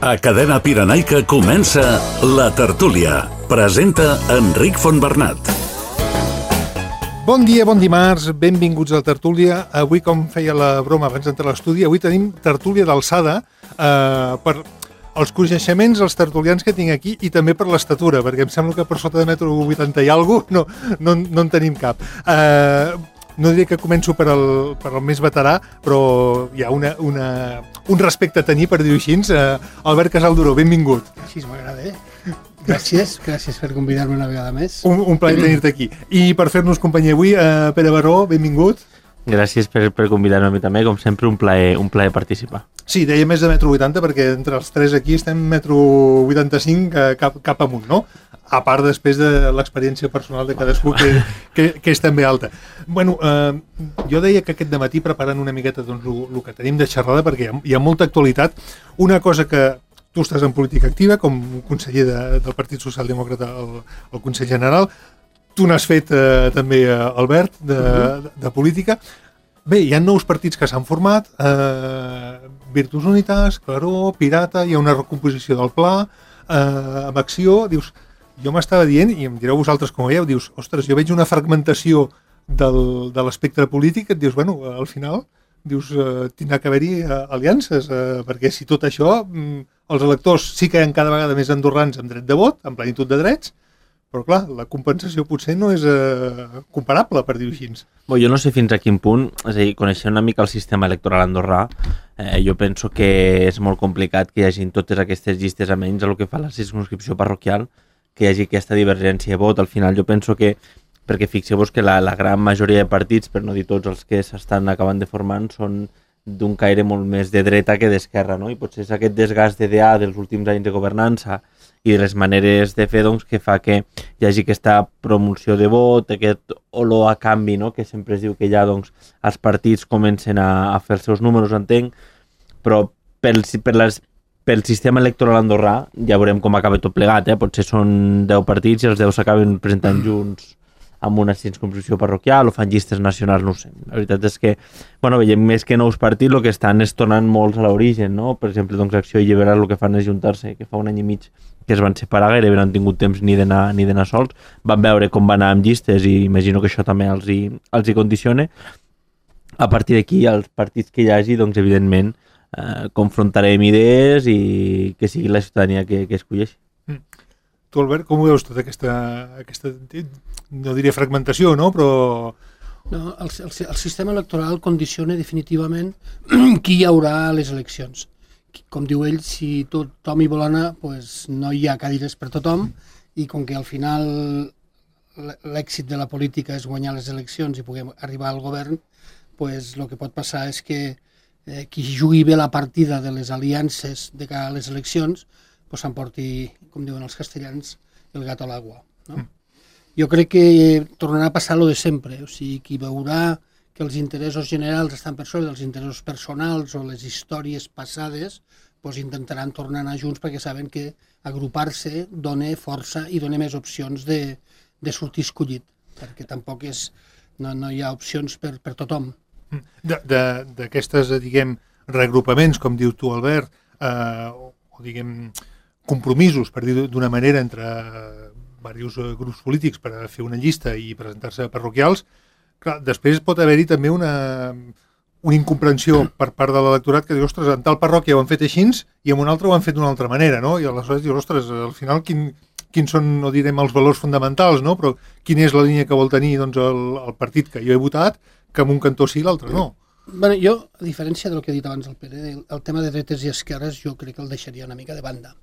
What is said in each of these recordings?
A Cadena Pirenaica comença La Tertúlia. Presenta Enric Fontbernat. Bon dia, bon dimarts, benvinguts a La Tertúlia. Avui, com feia la broma abans d'entrar a l'estudi, avui tenim tertúlia d'alçada per els coneixements, els tertulians que tinc aquí i també per l'estatura, perquè em sembla que per sota de 1,80 m i alguna cosa no en tenim cap. No diré que començo per el més veterà, però hi ha un respecte a tenir, per dir-ho així. Albert Casalduró, benvingut. Així m'agrada, Gràcies per convidar-me una vegada més. Un plaer tenir-te aquí. I per fer-nos companyia avui, Pere Baró, benvingut. Gràcies per convidar-me a mi també, com sempre, un plaer participar. Sí, deia més de 1,80 m, perquè entre els tres aquí estem 1,85 m cap amunt, no? A part després de l'experiència personal de cadascú, que és també alta. Bueno, jo deia que aquest dematí, preparant una miqueta doncs, el que tenim de xerrada, perquè hi ha molta actualitat. Una cosa que tu estàs en política activa, com conseller del Partit Socialdemòcrata al Consell General. Tu n'has fet també, Albert, de política. Bé, hi ha nous partits que s'han format, Virtus Unitas, Claró, Pirata, hi ha una recomposició del Pla, amb Acció. Dius, jo m'estava dient, i em direu vosaltres com ho veieu, dius, ostres, jo veig una fragmentació de l'espectre polític, et dius, bueno, al final, dius, tindrà que haver-hi aliances, perquè si tot això, els electors sí que hi ha cada vegada més andorrans amb dret de vot, amb plenitud de drets, però clar, la compensació potser no és comparable, per dir-ho així. Bé, jo no sé fins a quin punt, és a dir, coneixent una mica el sistema electoral andorrà, jo penso que és molt complicat que hi hagi totes aquestes llistes, almenys a lo que fa la circumscripció parroquial, que hi hagi aquesta divergència de vot. Al final jo penso que, perquè fixeu-vos que la gran majoria de partits, per no dir tots els que s'estan acabant de formant, són d'un caire molt més de dreta que d'esquerra, no? I potser és aquest desgast d'idea dels últims anys de governança i de les maneres de fer, doncs, que fa que hi hagi aquesta promoció de vot, aquest olor a canvi, no? Que sempre es diu que ja, doncs, els partits comencen a fer els seus números, entenc, però pel sistema electoral andorrà ja veurem com acaba tot plegat, potser són 10 partits i els 10 s'acaben presentant junts amb una circumscripció parroquial o fan llistes nacionals, no ho sé. La veritat és que, bueno, veiem més que nous partits, el que estan és tornant molts a l'origen, no? Per exemple, doncs, Acció i Llibertat el que fan és juntar-se, que fa un any i mig que es van separar, gairebé no han tingut temps ni d'anar sols, van veure com va anar amb llistes i imagino que això també els hi condiciona. A partir d'aquí, els partits que hi hagi, doncs, evidentment, confrontarem idees i que sigui la ciutadania que escolleixi. Tu, Albert, com ho veus tota aquesta no diria fragmentació, no? Però... No, el sistema electoral condiciona definitivament qui hi haurà a les eleccions. Com diu ell, si tothom hi vol anar, pues no hi ha cadires per tothom, i com que al final l'èxit de la política és guanyar les eleccions i puguem arribar al govern, pues el que pot passar és que qui jugui bé la partida de les aliances de cara a les eleccions pues s'emporti, com diuen els castellans, el gat a l'aigua, no? Jo crec que tornarà a passar lo de sempre, o sigui, qui veurà que els interessos generals estan per sobre dels interessos personals o les històries passades, pues intentaran tornar a anar junts perquè saben que agrupar-se dona força i dona més opcions de sortir escollit, perquè tampoc no hi ha opcions per tothom. D'aquestes, diguem, reagrupaments, com diu tu, Albert, o diguem, compromisos, per dir d'una manera, entre diversos grups polítics per fer una llista i presentar-se a parroquials, clar, després pot haver-hi també una incomprensió per part de l'electorat que diu, ostres, en tal parròquia ho han fet així i en una altra ho han fet d'una altra manera, no? I aleshores dius, ostres, al final quins són, no direm els valors fonamentals, no? Però quina és la línia que vol tenir doncs, el partit que jo he votat, que en un cantó sí i l'altre no? Bueno, jo, a diferència del que ha dit abans el Pere, el tema de dretes i esquerres jo crec que el deixaria una mica de banda.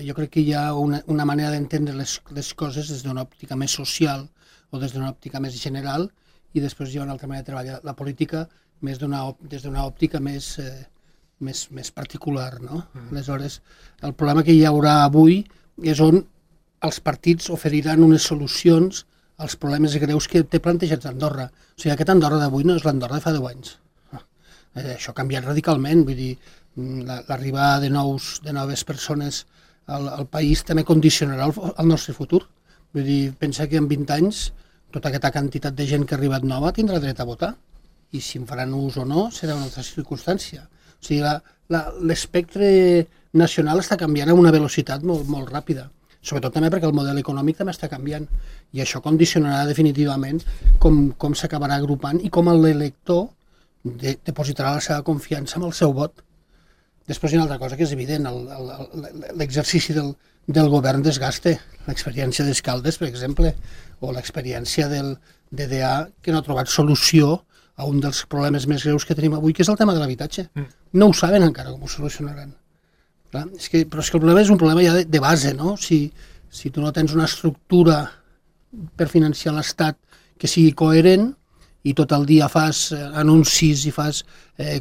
Jo crec que hi ha una manera d'entendre les coses des d'una òptica més social o des d'una òptica més general i després hi ha una altra manera de treballar la política des d'una òptica més particular, no? Aleshores, el problema que hi haurà avui és on els partits oferiran unes solucions als problemes greus que té plantejats Andorra. O sigui, aquest Andorra d'avui no és l'Andorra de fa 10 anys. Això ha canviat radicalment, vull dir, l'arribada de noves persones al país també condicionarà el nostre futur. Vull dir, pensa que en 20 anys tota aquesta quantitat de gent que ha arribat nova tindrà dret a votar i si en faran ús o no serà una altra circumstància. O sigui, l'espectre nacional està canviant a una velocitat molt, molt ràpida. Sobretot també perquè el model econòmic també està canviant i això condicionarà definitivament com s'acabarà agrupant i com l'elector depositarà la seva confiança amb el seu vot. Després hi ha una altra cosa que és evident, l'exercici del govern desgaste, l'experiència d'Escaldes, per exemple, o l'experiència del DDA, que no ha trobat solució a un dels problemes més greus que tenim avui, que és el tema de l'habitatge. No ho saben encara com ho solucionaran. Clar, però és que el problema és un problema ja de base, no? Si tu no tens una estructura per financiar l'Estat que sigui coherent i tot el dia fas anuncis i fas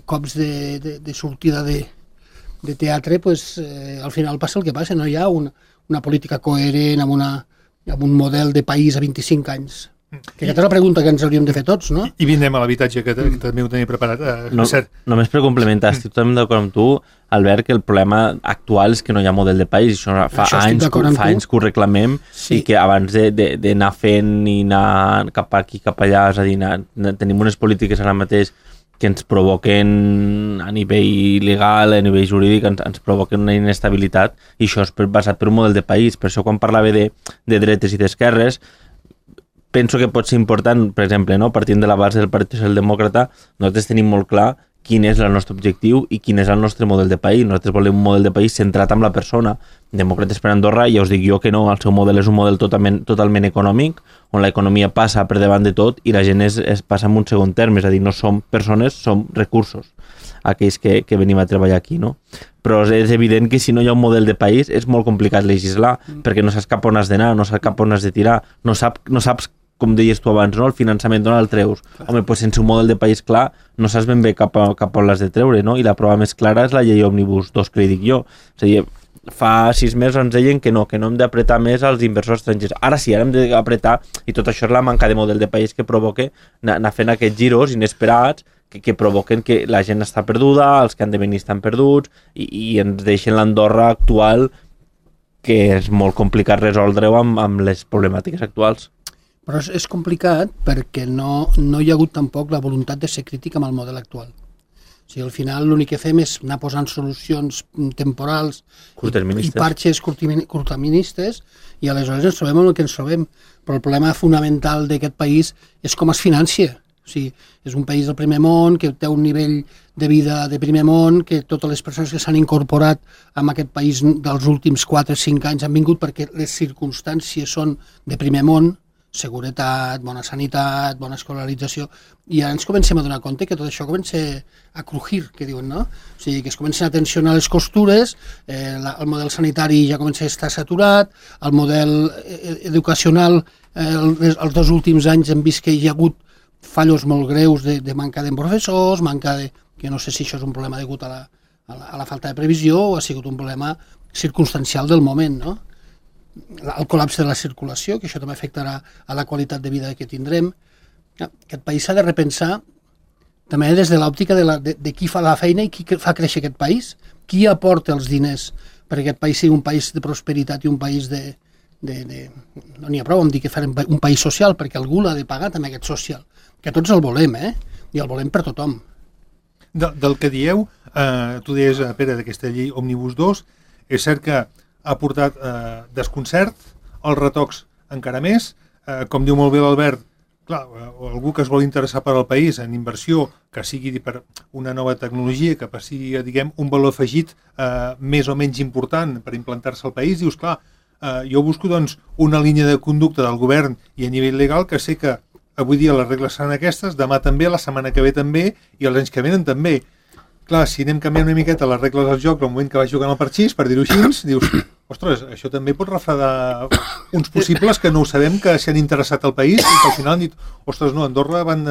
cops de sortida de teatre, pues, al final passa el que passa, no hi ha una política coherent amb un model de país a 25 anys. Que aquesta és la pregunta que ens hauríem de fer tots, no? I vindrem a l'habitatge, que també ho tenia preparat. Només per complementar, estic totalment d'acord amb tu, Albert, que el problema actual és que no hi ha model de país. Això fa anys que ho reclamem i que abans d'anar fent i anar cap aquí, cap allà, és a dir, tenim unes polítiques ara mateix que ens provoquen a nivell legal, a nivell jurídic, ens provoquen una inestabilitat i això és basat per un model de país. Per això quan parlava de dretes i d'esquerres, penso que pot ser important, per exemple, no? Partint de la base del Partit Socialdemòcrata, nosaltres tenim molt clar quin és el nostre objectiu i quin és el nostre model de país. Nosaltres volem un model de país centrat en la persona. Demòcrates per Andorra, ja us dic jo que no, el seu model és un model totalment econòmic, on l'economia passa per davant de tot i la gent es passa en un segon terme, és a dir, no som persones, som recursos, aquells que venim a treballar aquí, no? Però és evident que si no hi ha un model de país és molt complicat legislar, perquè no saps cap on has d'anar, no saps cap on has de tirar, no saps com deies tu abans, no? El finançament d'on el treus. Home, doncs sense un model de país clar no saps ben bé cap on l'has de treure, no? I la prova més clara és la llei Òmnibus 2, que li dic jo. És a dir, fa 6 mesos ens deien que no hem d'apretar més als inversors estrangers. Ara sí, ara hem d'apretar, i tot això és la manca de model de país que provoca anar fent aquests giros inesperats que provoquen que la gent està perduda, els que han de venir estan perduts, i ens deixen l'Andorra actual, que és molt complicat resoldre-ho amb les problemàtiques actuals. Però és complicat perquè no hi ha hagut tampoc la voluntat de ser crític amb el model actual. O sigui, al final l'únic que fem és anar posant solucions temporals i parxes curtaministes i aleshores ens trobem amb el que ens trobem. Però el problema fonamental d'aquest país és com es financia. O sigui, és un país del primer món, que té un nivell de vida de primer món, que totes les persones que s'han incorporat en aquest país dels últims 4 o 5 anys han vingut perquè les circumstàncies són de primer món, seguretat, bona sanitat, bona escolarització, i ara ens comencem a donar compte que tot això comença a crujir, que diuen, no? O sigui, que es comencen a tensionar les costures, el model sanitari ja comença a estar saturat, el model educacional, els 2 últims anys hem vist que hi ha hagut fallos molt greus de manca de professors, que no sé si això és un problema degut a la falta de previsió o ha sigut un problema circumstancial del moment, no? El col·lapse de la circulació, que això també afectarà a la qualitat de vida que tindrem. Aquest país s'ha de repensar també des de l'òptica de qui fa la feina i qui fa créixer aquest país, qui aporta els diners perquè aquest país sigui un país de prosperitat i un país no n'hi ha prou amb dir que farem un país social, perquè algú l'ha de pagar també aquest social, que tots el volem, i el volem per tothom. Del que dieu, tu deies, Pere, d'aquesta llei Òmnibus 2, és cert que ha portat desconcert, els retocs encara més, com diu molt bé l'Albert, clar, algú que es vol interessar per al país en inversió, que sigui per una nova tecnologia, que sigui, diguem, un valor afegit més o menys important per implantar-se al país, dius, clar, jo busco doncs una línia de conducta del govern i a nivell legal que sé que avui dia les regles seran aquestes, demà també, la setmana que ve també i els anys que venen també. Clar, si anem canviant una miqueta les regles del joc al moment que vas jugant al parxís, per dir-ho així, dius, ostres, això també pot refredar uns possibles que no ho sabem, que s'han interessat al país i que al final han dit, ostres, no, Andorra van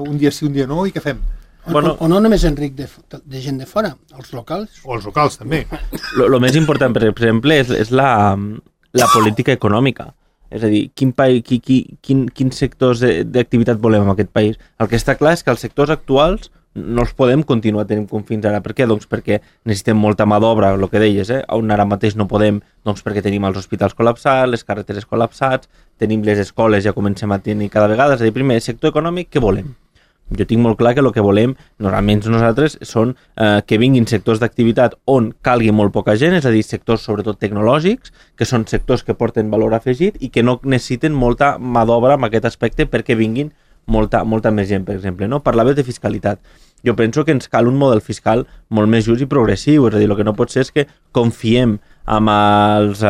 un dia sí, un dia no, i què fem? O no només, Enric, de gent de fora, els locals. O els locals, també. Lo més important, per exemple, és la política econòmica. És a dir, quins sectors d'activitat volem en aquest país? El que està clar és que els sectors actuals no els podem continuar tenint com fins ara. Per què? Doncs perquè necessitem molta mà d'obra, el que deies, on ara mateix no podem, doncs perquè tenim els hospitals col·lapsats, les carreteres col·lapsats, tenim les escoles, ja comencem a tenir cada vegada. És a dir, primer, sector econòmic, què volem? Jo tinc molt clar que el que volem, normalment nosaltres, són que vinguin sectors d'activitat on calgui molt poca gent, és a dir, sectors sobretot tecnològics, que són sectors que porten valor afegit i que no necessiten molta mà d'obra en aquest aspecte perquè vinguin molta més gent, per exemple. No? Parlaves de fiscalitat. Jo penso que ens cal un model fiscal molt més just i progressiu, és a dir, el que no pot ser és que confiem amb els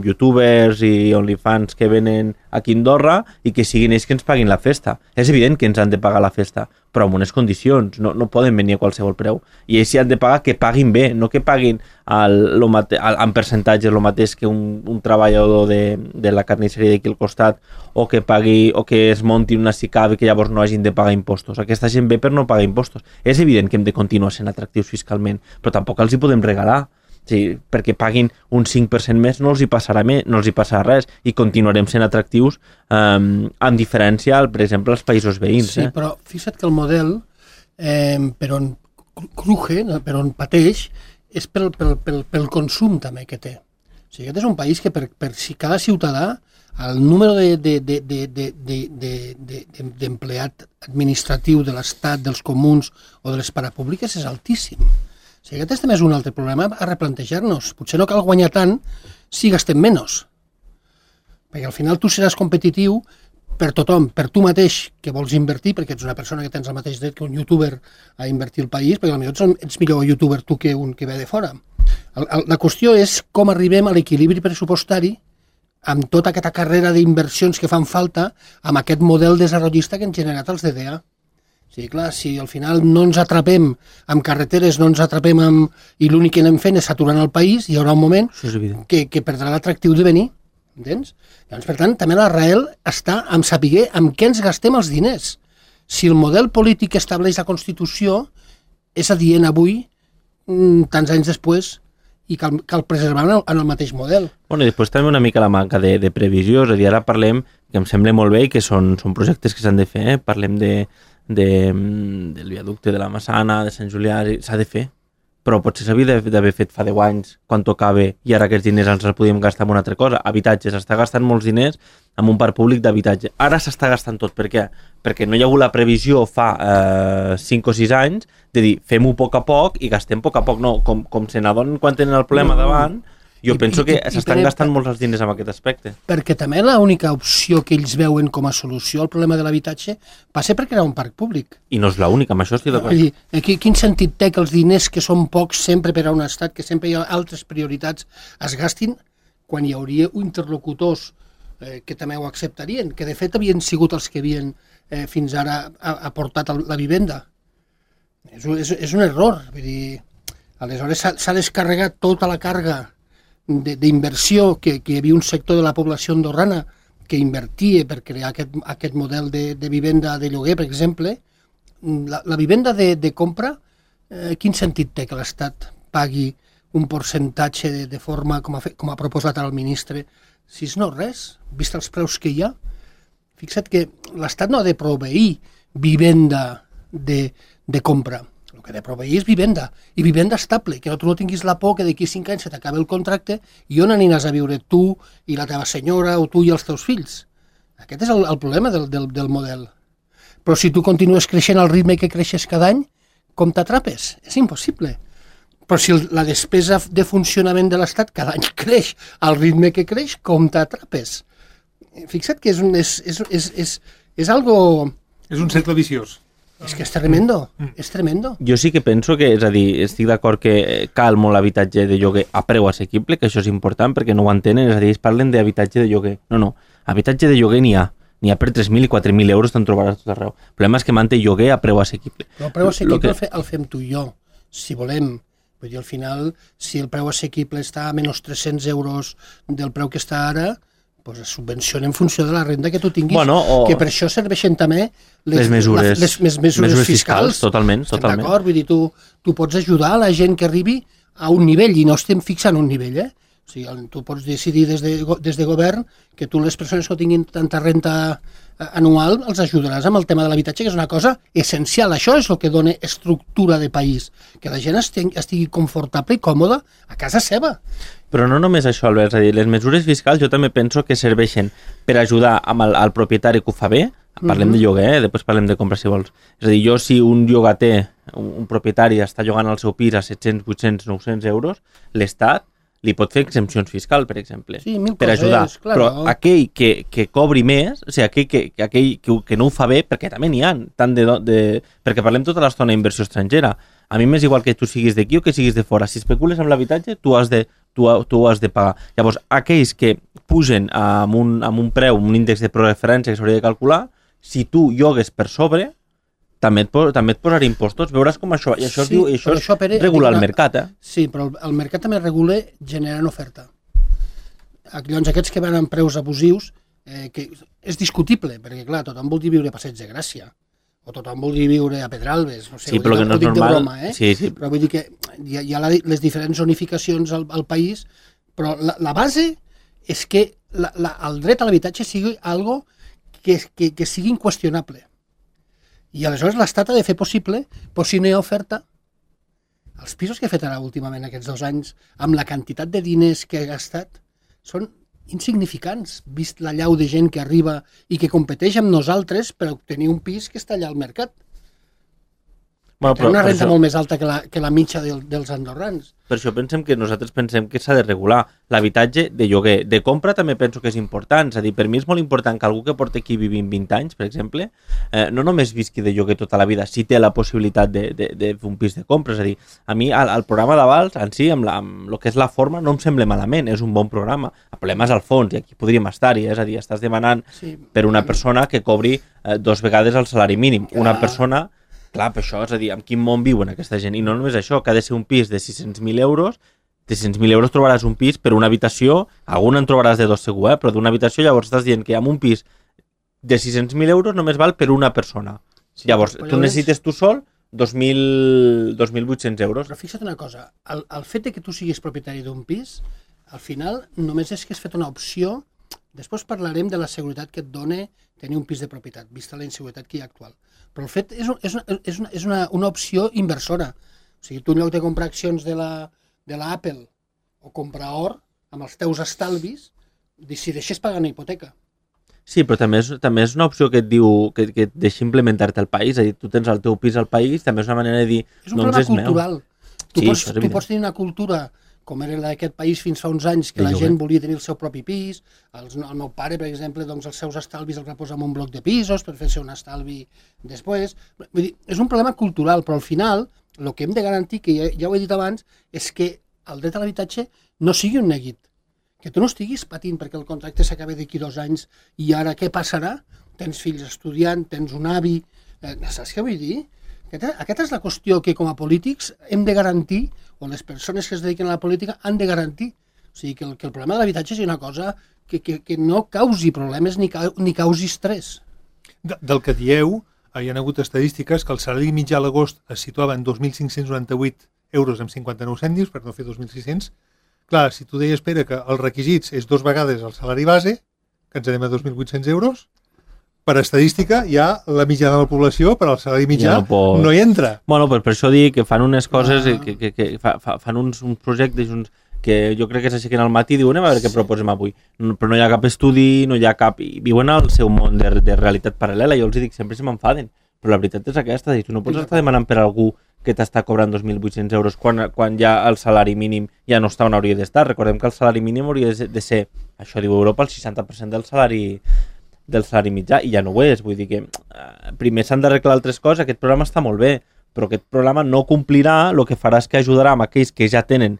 youtubers i OnlyFans que venen aquí a Andorra i que siguin ells que ens paguin la festa. És evident que ens han de pagar la festa, però amb unes condicions, no poden venir a qualsevol preu. I ells sí han de pagar que paguin bé, no que paguin en percentatge el mateix que un treballador de la carnisseria d'aquí al costat o que pagui o que es monti una SICAV i que llavors no hagin de pagar impostos. Aquesta gent ve per no pagar impostos. És evident que hem de continuar sent atractius fiscalment, però tampoc els hi podem regalar. Sí, perquè paguin un 5% més no els hi passarà res i continuarem sent atractius amb diferència, per exemple, als països veïns. Sí, però fixa't que el model per on cruje, per on pateix, és pel consum també que té. O sigui, aquest és un país que per si cada ciutadà el número d'empleat administratiu de l'Estat, dels comuns o de les parapúbliques és altíssim. O sigui, aquest també és un altre problema a replantejar-nos. Potser no cal guanyar tant si gastem menys. Perquè al final tu seràs competitiu per tothom, per tu mateix que vols invertir, perquè ets una persona que tens el mateix dret que un youtuber a invertir al país, perquè potser ets millor youtuber tu que un que ve de fora. La qüestió és com arribem a l'equilibri pressupostari amb tota aquesta carrera d'inversions que fan falta amb aquest model desenvolupista que han generat els DDA. Sí, clar, si al final no ens atrapem amb carreteres, no ens atrapem i l'únic que anem fent és saturant el país, hi haurà un moment que perdrà l'atractiu de venir, entens? Llavors, per tant, també l'arrel està en saber amb què ens gastem els diners. Si el model polític que estableix la Constitució és adient avui, tants anys després, i cal preservar en el mateix model. Bueno, i després també una mica la manca de previsió, és a dir, ara parlem, que em sembla molt bé i que són projectes que s'han de fer, parlem del viaducte de la Massana, de Sant Julià, s'ha de fer, però potser s'havia d'haver fet fa 10 anys quan tocava i ara aquests diners ens els podíem gastar en una altra cosa. Habitatge, s'està gastant molts diners en un parc públic d'habitatge. Ara s'està gastant tot. Per què? Perquè no hi ha hagut la previsió fa 5 o 6 anys de dir fem-ho a poc i gastem a poc. No, com se n'adonen quan tenen el problema davant, jo penso que s'estan gastant molts els diners en aquest aspecte. Perquè també l'única opció que ells veuen com a solució al problema de l'habitatge va ser perquè era un parc públic. I no és l'única, amb això estic d'acord. Quin sentit té que els diners que són pocs sempre per a un estat, que sempre hi ha altres prioritats, es gastin quan hi hauria interlocutors que també ho acceptarien, que de fet havien sigut els que havien fins ara aportat la vivenda. És un error. Vull dir, aleshores s'ha descarregat tota la càrrega d'inversió que hi havia un sector de la població andorrana que invertia per crear aquest model de vivenda de lloguer, per exemple. La vivenda de compra, quin sentit té que l'Estat pagui un percentatge de forma com ha proposat el ministre? Si no res, vist els preus que hi ha. Fixa't que l'Estat no ha de proveir vivenda de compra. El que ha de proveir és vivenda, i vivenda estable, que tu no tinguis la por que d'aquí 5 anys se t'acabi el contracte i on aniràs a viure tu i la teva senyora o tu i els teus fills. Aquest és el problema del model. Però si tu continues creixent al ritme que creixes cada any, com t'atrapes? És impossible. Però si la despesa de funcionament de l'Estat cada any creix al ritme que creix, com t'atrapes? Fixa't que és algo... És un cercle viciós. És que és tremendo, és tremendo. Jo sí que penso que, és a dir, estic d'acord que cal molt habitatge de lloguer a preu assequible, que això és important perquè no ho entenen, és a dir, ells parlen d'habitatge de lloguer. No, habitatge de lloguer n'hi ha per 3.000 i 4.000 euros, te'n trobaràs tot arreu. El problema és que manté lloguer a preu assequible. Però el preu assequible el fem tu i jo, si volem. Vull dir, al final, si el preu assequible està a menys 300 euros del preu que està ara, pues es subvenciona en funció de la renda que tu tinguis, que per això serveixen també les mesures fiscals. Totalment. D'acord? Vull dir, tu pots ajudar a la gent que arribi a un nivell, i no estem fixant un nivell, O sigui, tu pots decidir des de govern que tu les persones que tinguin tanta renta anual els ajudaràs amb el tema de l'habitatge, que és una cosa essencial. Això és el que dona estructura de país, que la gent estigui confortable i còmoda a casa seva. Però no només això, Albert, és a dir, les mesures fiscals jo també penso que serveixen per ajudar amb el propietari que ho fa bé, Parlem de lloguer, després parlem de compra si vols. És a dir, jo si un llogater, un propietari està llogant el seu pis a 700, 800, 900 euros, l'Estat li pot fer exempcions fiscals, per exemple, Sí, mil per coses, ajudar. claro. Però aquell que cobri més, o sigui, aquell que no ho fa bé, perquè també n'hi ha, perquè parlem tota l'estona d'inversió estrangera. A mi m'és igual que tu siguis d'aquí o que siguis de fora. Si especules amb l'habitatge, tu has de pagar. Llavors, aquells que pugen amb un preu, un índex de preferència que s'hauria de calcular, si tu llogues per sobre, també et posarà impostos. Veuràs com això, i això, Sí, això però això, Pere, regula el mercat, Sí, però el mercat també regula generant oferta. Llavors, aquests que van amb preus abusius, que és discutible, perquè, clar, tothom vol dir viure a Passeig de Gràcia, o tothom vol dir viure a Pedralbes, no sé, Sí, però que no és dic de normal. broma, Sí. Però vull dir que hi ha les diferents zonificacions al país, però la base és que el dret a l'habitatge sigui algo que sigui inqüestionable. I aleshores l'Estat ha de fer possible, però si no hi ha oferta, els pisos que he fet ara últimament aquests 2 anys, amb la quantitat de diners que he gastat, són insignificants, vist la llau de gent que arriba i que competeix amb nosaltres per obtenir un pis que està allà al mercat. Bueno, Té una renta això- molt més alta que la mitja dels andorrans. Per això nosaltres pensem que s'ha de regular l'habitatge de lloguer. De compra també penso que és important. És a dir, per mi és molt important que algú que porti aquí vivint 20 anys, per exemple, no només visqui de lloguer tota la vida, si té la possibilitat de fer un pis de compra. És a dir, a mi el programa d'avals, en si, amb el que és la forma, no em sembla malament. És un bon programa. El problema és el fons, i aquí podríem estar-hi. És a dir, estàs demanant per una persona que cobri 2 vegades el salari mínim. Una persona... Clar, per això, és a dir, en quin món viuen aquesta gent? I no només això, que ha de ser un pis de 600.000 euros, de 600.000 euros trobaràs un pis per una habitació, alguna en trobaràs de 2 segur, però d'una habitació llavors estàs dient que amb un pis de 600.000 euros només val per una persona. Sí, llavors, tu necessites tu sol 2.800 euros. Però fixa't una cosa, el fet de que tu siguis propietari d'un pis, al final només és que has fet una opció. Després parlarem de la seguretat que et dona tenir un pis de propietat, vista la inseguretat que hi ha actual. Però el fet és una opció inversora. O sigui, tu en lloc de comprar accions de la Apple o comprar or, amb els teus estalvis, decideixes pagar una hipoteca. Sí, però també és una opció que et diu que et deixa implementar-te al país. És a dir, tu tens el teu pis al país, també és una manera de dir, És un problema cultural. Tu meu. pots tenir una cultura com era d'aquest país fins fa uns anys, que la gent volia tenir el seu propi pis. El meu pare, per exemple, doncs els seus estalvis els va posar en un bloc de pisos per fer-se un estalvi després. Vull dir, és un problema cultural, però al final el que hem de garantir, que ja ho he dit abans, és que el dret a l'habitatge no sigui un neguit. Que tu no estiguis patint perquè el contracte s'acabi d'aquí 2 anys i ara què passarà? Tens fills estudiant, tens un avi... Saps què vull dir? Aquesta és la qüestió que com a polítics hem de garantir, o les persones que es dediquen a la política han de garantir. O sigui, que el problema de l'habitatge sigui una cosa que no causi problemes ni causi estrès. Del que dieu, hi ha hagut estadístiques que el salari mitjà a l'agost es situava en 2.598 euros amb 59 cèntims, per no fer 2.600. Clar, si tu deies, Pere, que els requisits és 2 vegades el salari base, que ens anem a 2.800 euros, per estadística ja la mitjana de la població, per al salari mitjà, no hi entra. Bueno, per això dic que fan unes coses, que fan uns projectes que jo crec que s'aixequen al matí i diuen a veure què proposem avui. Però no hi ha cap estudi, no hi ha cap... Viuen al seu món de realitat paral·lela. Jo els dic, sempre se m'enfaden. Però la veritat és aquesta. Tu no pots estar demanant per algú que t'està cobrant 2.800 euros quan ja el salari mínim ja no està on hauria d'estar. Recordem que el salari mínim hauria de ser, això diu Europa, el 60% del salari mitjà, i ja no ho és. Vull dir que primer s'han d'arreglar altres coses. Aquest programa està molt bé, però aquest programa no complirà, el que farà és que ajudarà amb aquells que ja tenen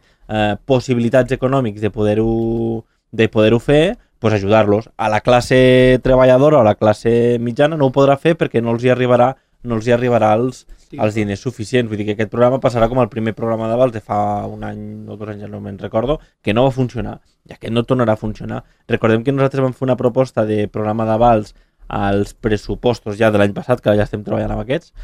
possibilitats econòmics de poder-ho fer, pues ajudar-los. A la classe treballadora o a la classe mitjana no ho podrà fer perquè no els hi arribarà els diners suficients. Vull dir que aquest programa passarà com el primer programa d'avals de fa 1 any o 2 anys, no me'n recordo, que no va funcionar, i aquest no tornarà a funcionar. Recordem que nosaltres vam fer una proposta de programa d'avals als pressupostos ja de l'any passat, que ja estem treballant amb aquests,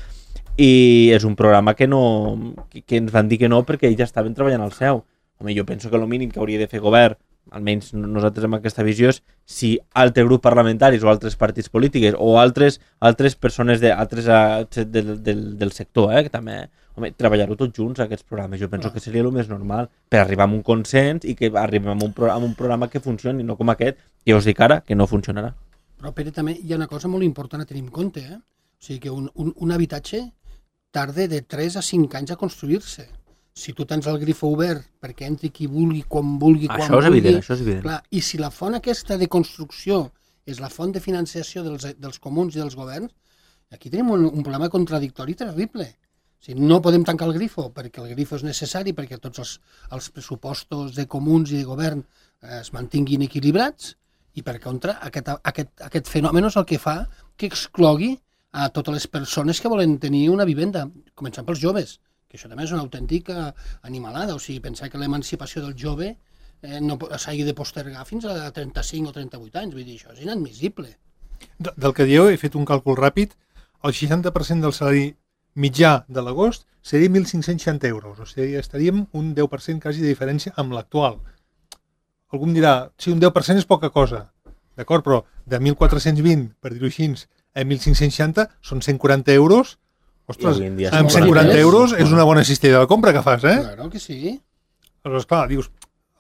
i és un programa que ens van dir que no perquè ells ja estaven treballant al seu. Home, jo penso que el mínim que hauria de fer govern, almenys nosaltres amb aquesta visió, és si altres grups parlamentaris o altres partits polítics o altres persones del sector, que també, home, treballar-ho tots junts, aquests programes. Jo penso que seria el més normal per arribar a un consens i que arribem a un programa que funcioni, no com aquest, que us dic ara que no funcionarà. Però, Pere, també hi ha una cosa molt important a tenir en compte. O sigui que un habitatge tarda de 3 a 5 anys a construir-se. Si tu tens el grifo obert perquè entri qui vulgui, quan vulgui, quan vulgui... Això és evident. Clar, i si la font aquesta de construcció és la font de financiació dels comuns i dels governs, aquí tenim un problema contradictori terrible. O sigui, no podem tancar el grifo perquè el grifo és necessari, perquè tots els pressupostos de comuns i de govern es mantinguin equilibrats, i per contra aquest fenomen és el que fa que exclogui a totes les persones que volen tenir una vivenda, començant pels joves, que això també és una autèntica animalada. O sigui, pensar que l'emancipació del jove no s'hagi de postergar fins a 35 o 38 anys, vull dir, això és inadmissible. Del que dieu, he fet un càlcul ràpid, el 60% del salari mitjà de l'agost seria 1.560 euros, o sigui, estaríem un 10% quasi de diferència amb l'actual. Algú em dirà, sí, un 10% és poca cosa, d'acord, però de 1.420, per dir-ho així, a 1.560 són 140 euros. Ostres, amb 140 euros és una bona cistella de compra que fas, eh? Claro que sí. Aleshores, clar, dius,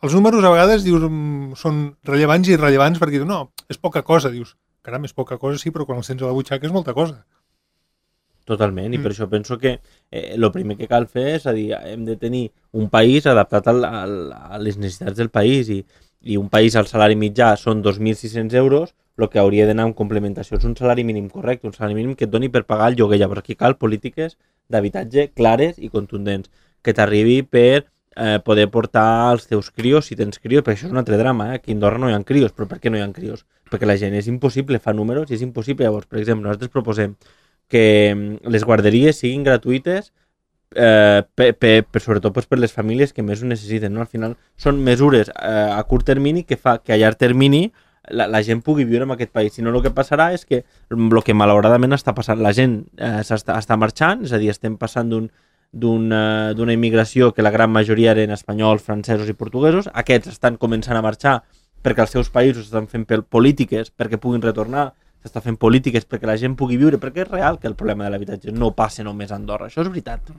els números a vegades dius són rellevants i irrellevants perquè dius, no, és poca cosa, dius, caram, és poca cosa, sí, però quan els tens a la butxaca és molta cosa. Totalment, i per això penso que el primer que cal fer és a dir, hem de tenir un país adaptat a les necessitats del país i un país al salari mitjà són 2.600 euros, el que hauria d'anar en complementació és un salari mínim correcte, un salari mínim que et doni per pagar el lloguer. Llavors aquí cal polítiques d'habitatge clares i contundents, que t'arribi per poder portar els teus crios, si tens crios, perquè això és un altre drama, aquí a Andorra no hi ha crios, però per què no hi ha crios? Perquè la gent és impossible, fa números i és impossible. Llavors, per exemple, nosaltres proposem que les guarderies siguin gratuïtes sobretot per les famílies que més ho necessiten, no? Al final són mesures a curt termini que fa que a llarg termini la gent pugui viure en aquest país. Si no, el que passarà és que el que malauradament està passant, la gent està marxant, és a dir, estem passant d'una immigració que la gran majoria eren espanyols, francesos i portuguesos. Aquests estan començant a marxar perquè els seus països estan fent polítiques perquè puguin retornar, s'està fent polítiques perquè la gent pugui viure, perquè és real que el problema de l'habitatge no passa només a Andorra, això és veritat.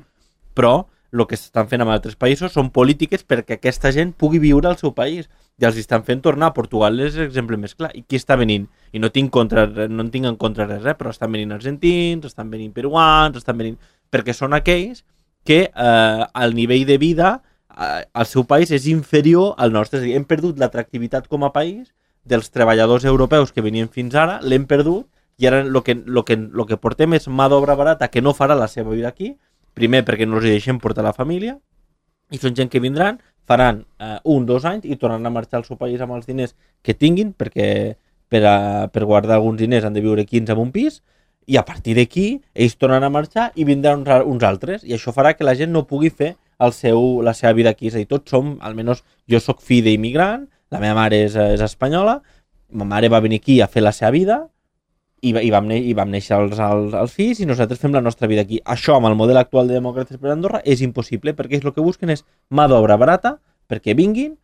Però el que s'estan fent en altres països són polítiques perquè aquesta gent pugui viure al seu país i els estan fent tornar. A Portugal és l'exemple més clar. I qui està venint? I no en tinc en contra res, però estan venint argentins, estan venint peruans, estan venint... perquè són aquells que el nivell de vida al seu país és inferior al nostre. És a dir, hem perdut l'atractivitat com a país dels treballadors europeus que venien fins ara, l'hem perdut, i ara el que portem és mà d'obra barata que no farà la seva vida aquí, primer perquè no els deixem portar la família, i són gent que vindran, faran 1-2 anys i tornaran a marxar al seu país amb els diners que tinguin, perquè per guardar alguns diners han de viure 15 en un pis, i a partir d'aquí ells tornen a marxar i vindran uns altres, i això farà que la gent no pugui fer la seva vida aquí. És a dir, tots som, almenys jo sóc fill d'immigrant, la meva mare és espanyola, ma mare va venir aquí a fer la seva vida i vam néixer els fills i nosaltres fem la nostra vida aquí. Això amb el model actual de Demòcrates per Andorra és impossible, perquè el que busquen és mà d'obra barata perquè vinguin,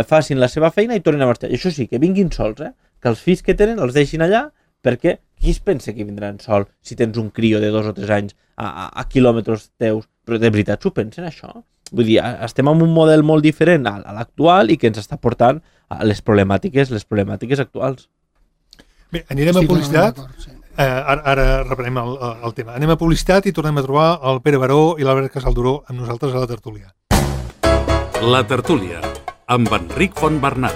facin la seva feina i tornin a marxar. I això sí, que vinguin sols, que els fills que tenen els deixin allà, perquè qui es pensa que vindran sols si tens un crio de 2 o 3 anys a quilòmetres teus? Però de veritat s'ho pensen, això? Vull dir, estem en un model molt diferent a l'actual i que ens està portant a les problemàtiques actuals. Bé, anirem a publicitat. Ara reprenem el tema. Anem a publicitat i tornem a trobar el Pere Baró i l'Albert Casalduró amb nosaltres a la tertúlia. La tertúlia, amb Enric Fontbernat.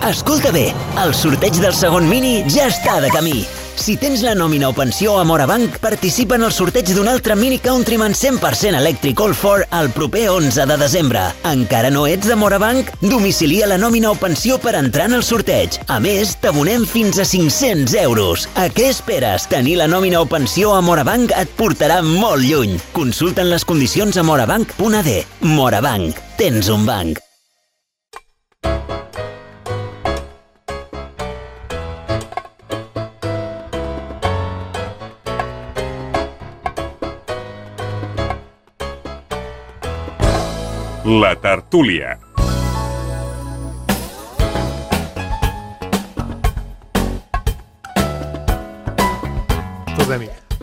Escolta bé, el sorteig del segon Mini ja està de camí. Si tens la nòmina o pensió a Morabanc, participa en el sorteig d'un altre Mini Countryman 100% elèctric All-4 el proper 11 de desembre. Encara no ets de Morabanc? Domicilia la nòmina o pensió per entrar en el sorteig. A més, t'abonem fins a 500 euros. A què esperes? Tenir la nòmina o pensió a Morabanc et portarà molt lluny. Consulta'n les condicions a morabanc.ad. Morabanc. Tens un banc. La tertúlia.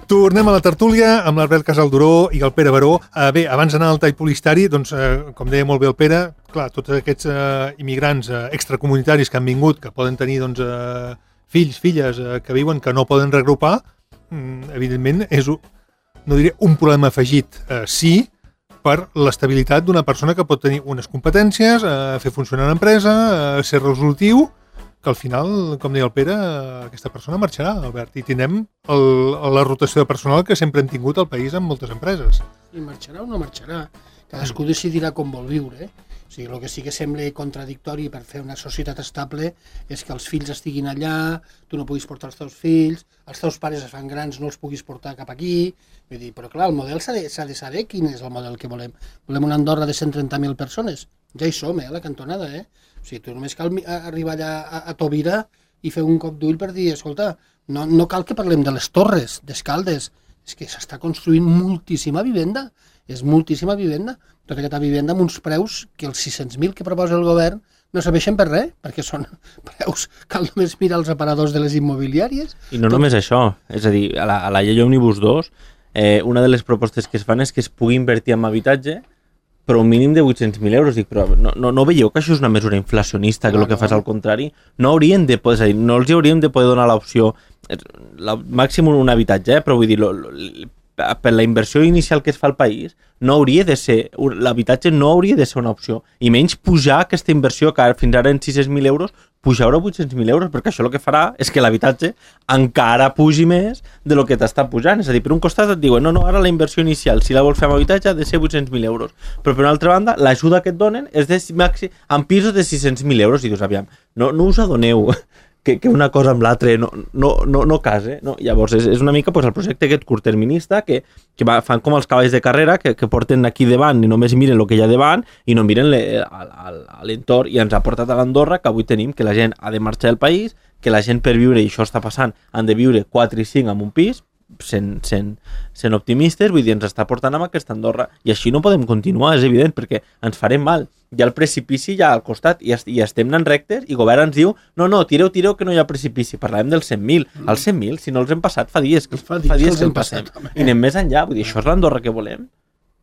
Tornem a la tertúlia amb l'Albert Casalduró i el Pere Baró. Bé, abans d'anar al tall publicitari, doncs, com deia molt bé el Pere, clar, tots aquests immigrants extracomunitaris que han vingut, que poden tenir doncs, fills, filles que viuen que no poden reagrupar, evidentment és, no diré un problema afegit, sí, per l'estabilitat d'una persona que pot tenir unes competències, fer funcionar l'empresa, ser resolutiu, que al final, com deia el Pere, aquesta persona marxarà, Albert, i tindrem la rotació de personal que sempre hem tingut al país en moltes empreses. I marxarà o no marxarà? Cadascú decidirà com vol viure. O sigui, el que sí que sembla contradictori per fer una societat estable és que els fills estiguin allà, tu no puguis portar els teus fills, els teus pares es fan grans, no els puguis portar cap aquí. Vull dir, però clar, el model s'ha de saber quin és el model que volem. Volem una Andorra de 130.000 persones? Ja hi som, a la cantonada, O sigui, tu només cal arribar allà a Tobira i fer un cop d'ull per dir, escolta, no cal que parlem de les torres, d'Escaldes, és que s'està construint moltíssima vivenda, és moltíssima vivenda, tota aquesta vivenda amb uns preus que els 600.000 que proposa el govern no serveixen per res, perquè són preus, cal només mirar els aparadors de les immobiliàries. I no només això, és a dir, a la llei Òmnibus 2, una de les propostes que es fan és que es pugui invertir en habitatge però un mínim de 800.000 euros. Dic, però no veieu que això és una mesura inflacionista, que el que fa és al contrari? No haurien de poder, és a dir, no els hauríem de poder donar l'opció, màxim un habitatge, però vull dir, per la inversió inicial que es fa al país, no hauria de ser, l'habitatge no hauria de ser una opció, i menys pujar aquesta inversió que fins ara en 600.000 euros, pujar a 800.000 euros, perquè això el que farà és que l'habitatge encara pugi més de lo que t'està pujant. És a dir, per un costat et diuen, no, ara la inversió inicial, si la vols fer amb habitatge, ha de ser 800.000 euros. Però per una altra banda, l'ajuda que et donen és en pisos de 600.000 euros, i dius, aviam, no us adoneu que una cosa amb l'altra no casa. No? Llavors, és una mica el projecte aquest curtterminista que fan com els cavalls de carrera que porten aquí davant i només miren el que hi ha davant i no miren l'entorn, i ens ha portat a l'Andorra que avui tenim que la gent ha de marxar del país, que la gent per viure, i això està passant, han de viure 4 i 5 en un pis, sent optimistes, vull dir, ens està portant amb aquesta Andorra, i així no podem continuar, és evident, perquè ens farem mal. Hi ha el precipici ja al costat i estem anant rectes, i el govern ens diu no, tireu que no hi ha precipici. Parlàvem dels 100.000. Els 100.000, si no els hem passat, fa dies que els passem. I anem més enllà, vull dir, això és l'Andorra que volem.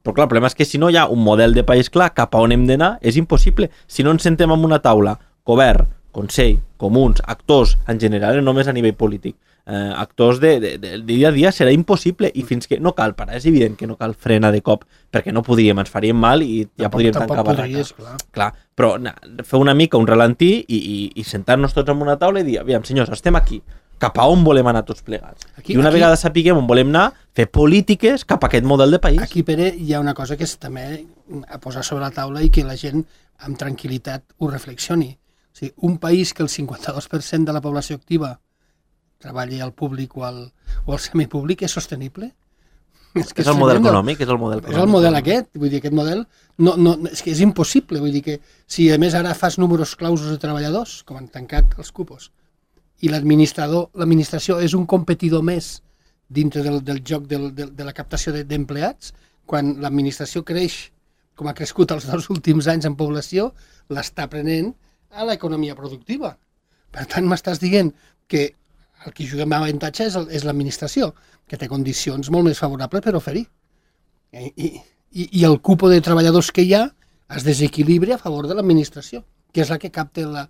Però clar, el problema és que si no hi ha un model de país clar cap a on hem d'anar, és impossible. Si no ens sentem en una taula, govern, Consell, comuns, actors en general, no només a nivell polític, actors del dia a dia, serà impossible, i fins que no cal parar, és evident que no cal frenar de cop, perquè no podríem, ens faríem mal i ja podríem tancar barraques. Clar, però fer una mica un ralentí i sentar-nos tots en una taula i dir, aviam, senyors, estem aquí, cap a on volem anar tots plegats. I una vegada sapiguem on volem anar, fer polítiques cap a aquest model de país. Aquí, Pere, hi ha una cosa que és també a posar sobre la taula i que la gent amb tranquil·litat ho reflexioni. O sigui, un país que el 52% de la població activa treballi al públic o al semipúblic és sostenible? És el model econòmic, és el model econòmic. És el model aquest, vull dir, aquest model és que és impossible, vull dir que si a més ara fas números clausos de treballadors, com han tancat els cupos, i l'administració és un competidor més dintre del joc de la captació d'empleats, quan l'administració creix, com ha crescut els 2 últims anys en població, l'està prenent a l'economia productiva. Per tant, m'estàs dient que el que juga amb avantatge és l'administració, que té condicions molt més favorables per oferir. I el cupo de treballadors que hi ha es desequilibra a favor de l'administració, que és la que capta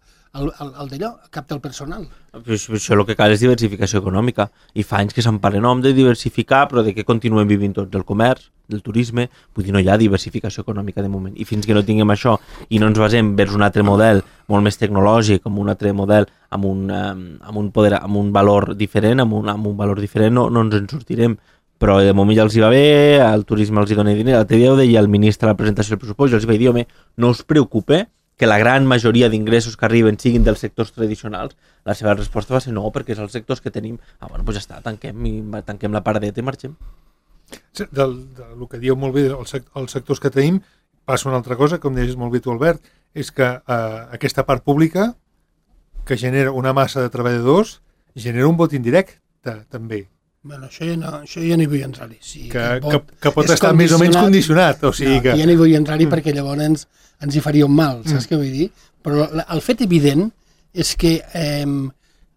capta el personal. Això el que cal és diversificació econòmica, i fa anys que se'n parla de diversificar, però de que continuem vivint tots del comerç, del turisme, vull dir, no hi ha diversificació econòmica de moment, i fins que no tinguem això i no ens basem vers un altre model molt més tecnològic, amb un altre model amb un valor diferent, no ens en sortirem. Però de moment ja els hi va bé, al turisme els hi dona diner. L'altre dia ho deia el ministre a la presentació del pressupost, i els hi vaig dir, home, no us preocupe que la gran majoria d'ingressos que arriben siguin dels sectors tradicionals. La seva resposta va ser no, perquè és els sectors que tenim. Bueno, doncs ja està, tanquem la paradeta i marxem. Del que diu molt bé els sectors que tenim, passa una altra cosa, com deies molt bé tu, Albert, és que aquesta part pública, que genera una massa de treballadors, genera un vot indirecte, també. Bueno, això ja no hi vull entrar-hi. Sí, que pot estar més o menys condicionat. O sigui que... Ja no hi vull entrar-hi perquè llavors ens hi faria un mal, saps què vull dir? Però el fet evident és que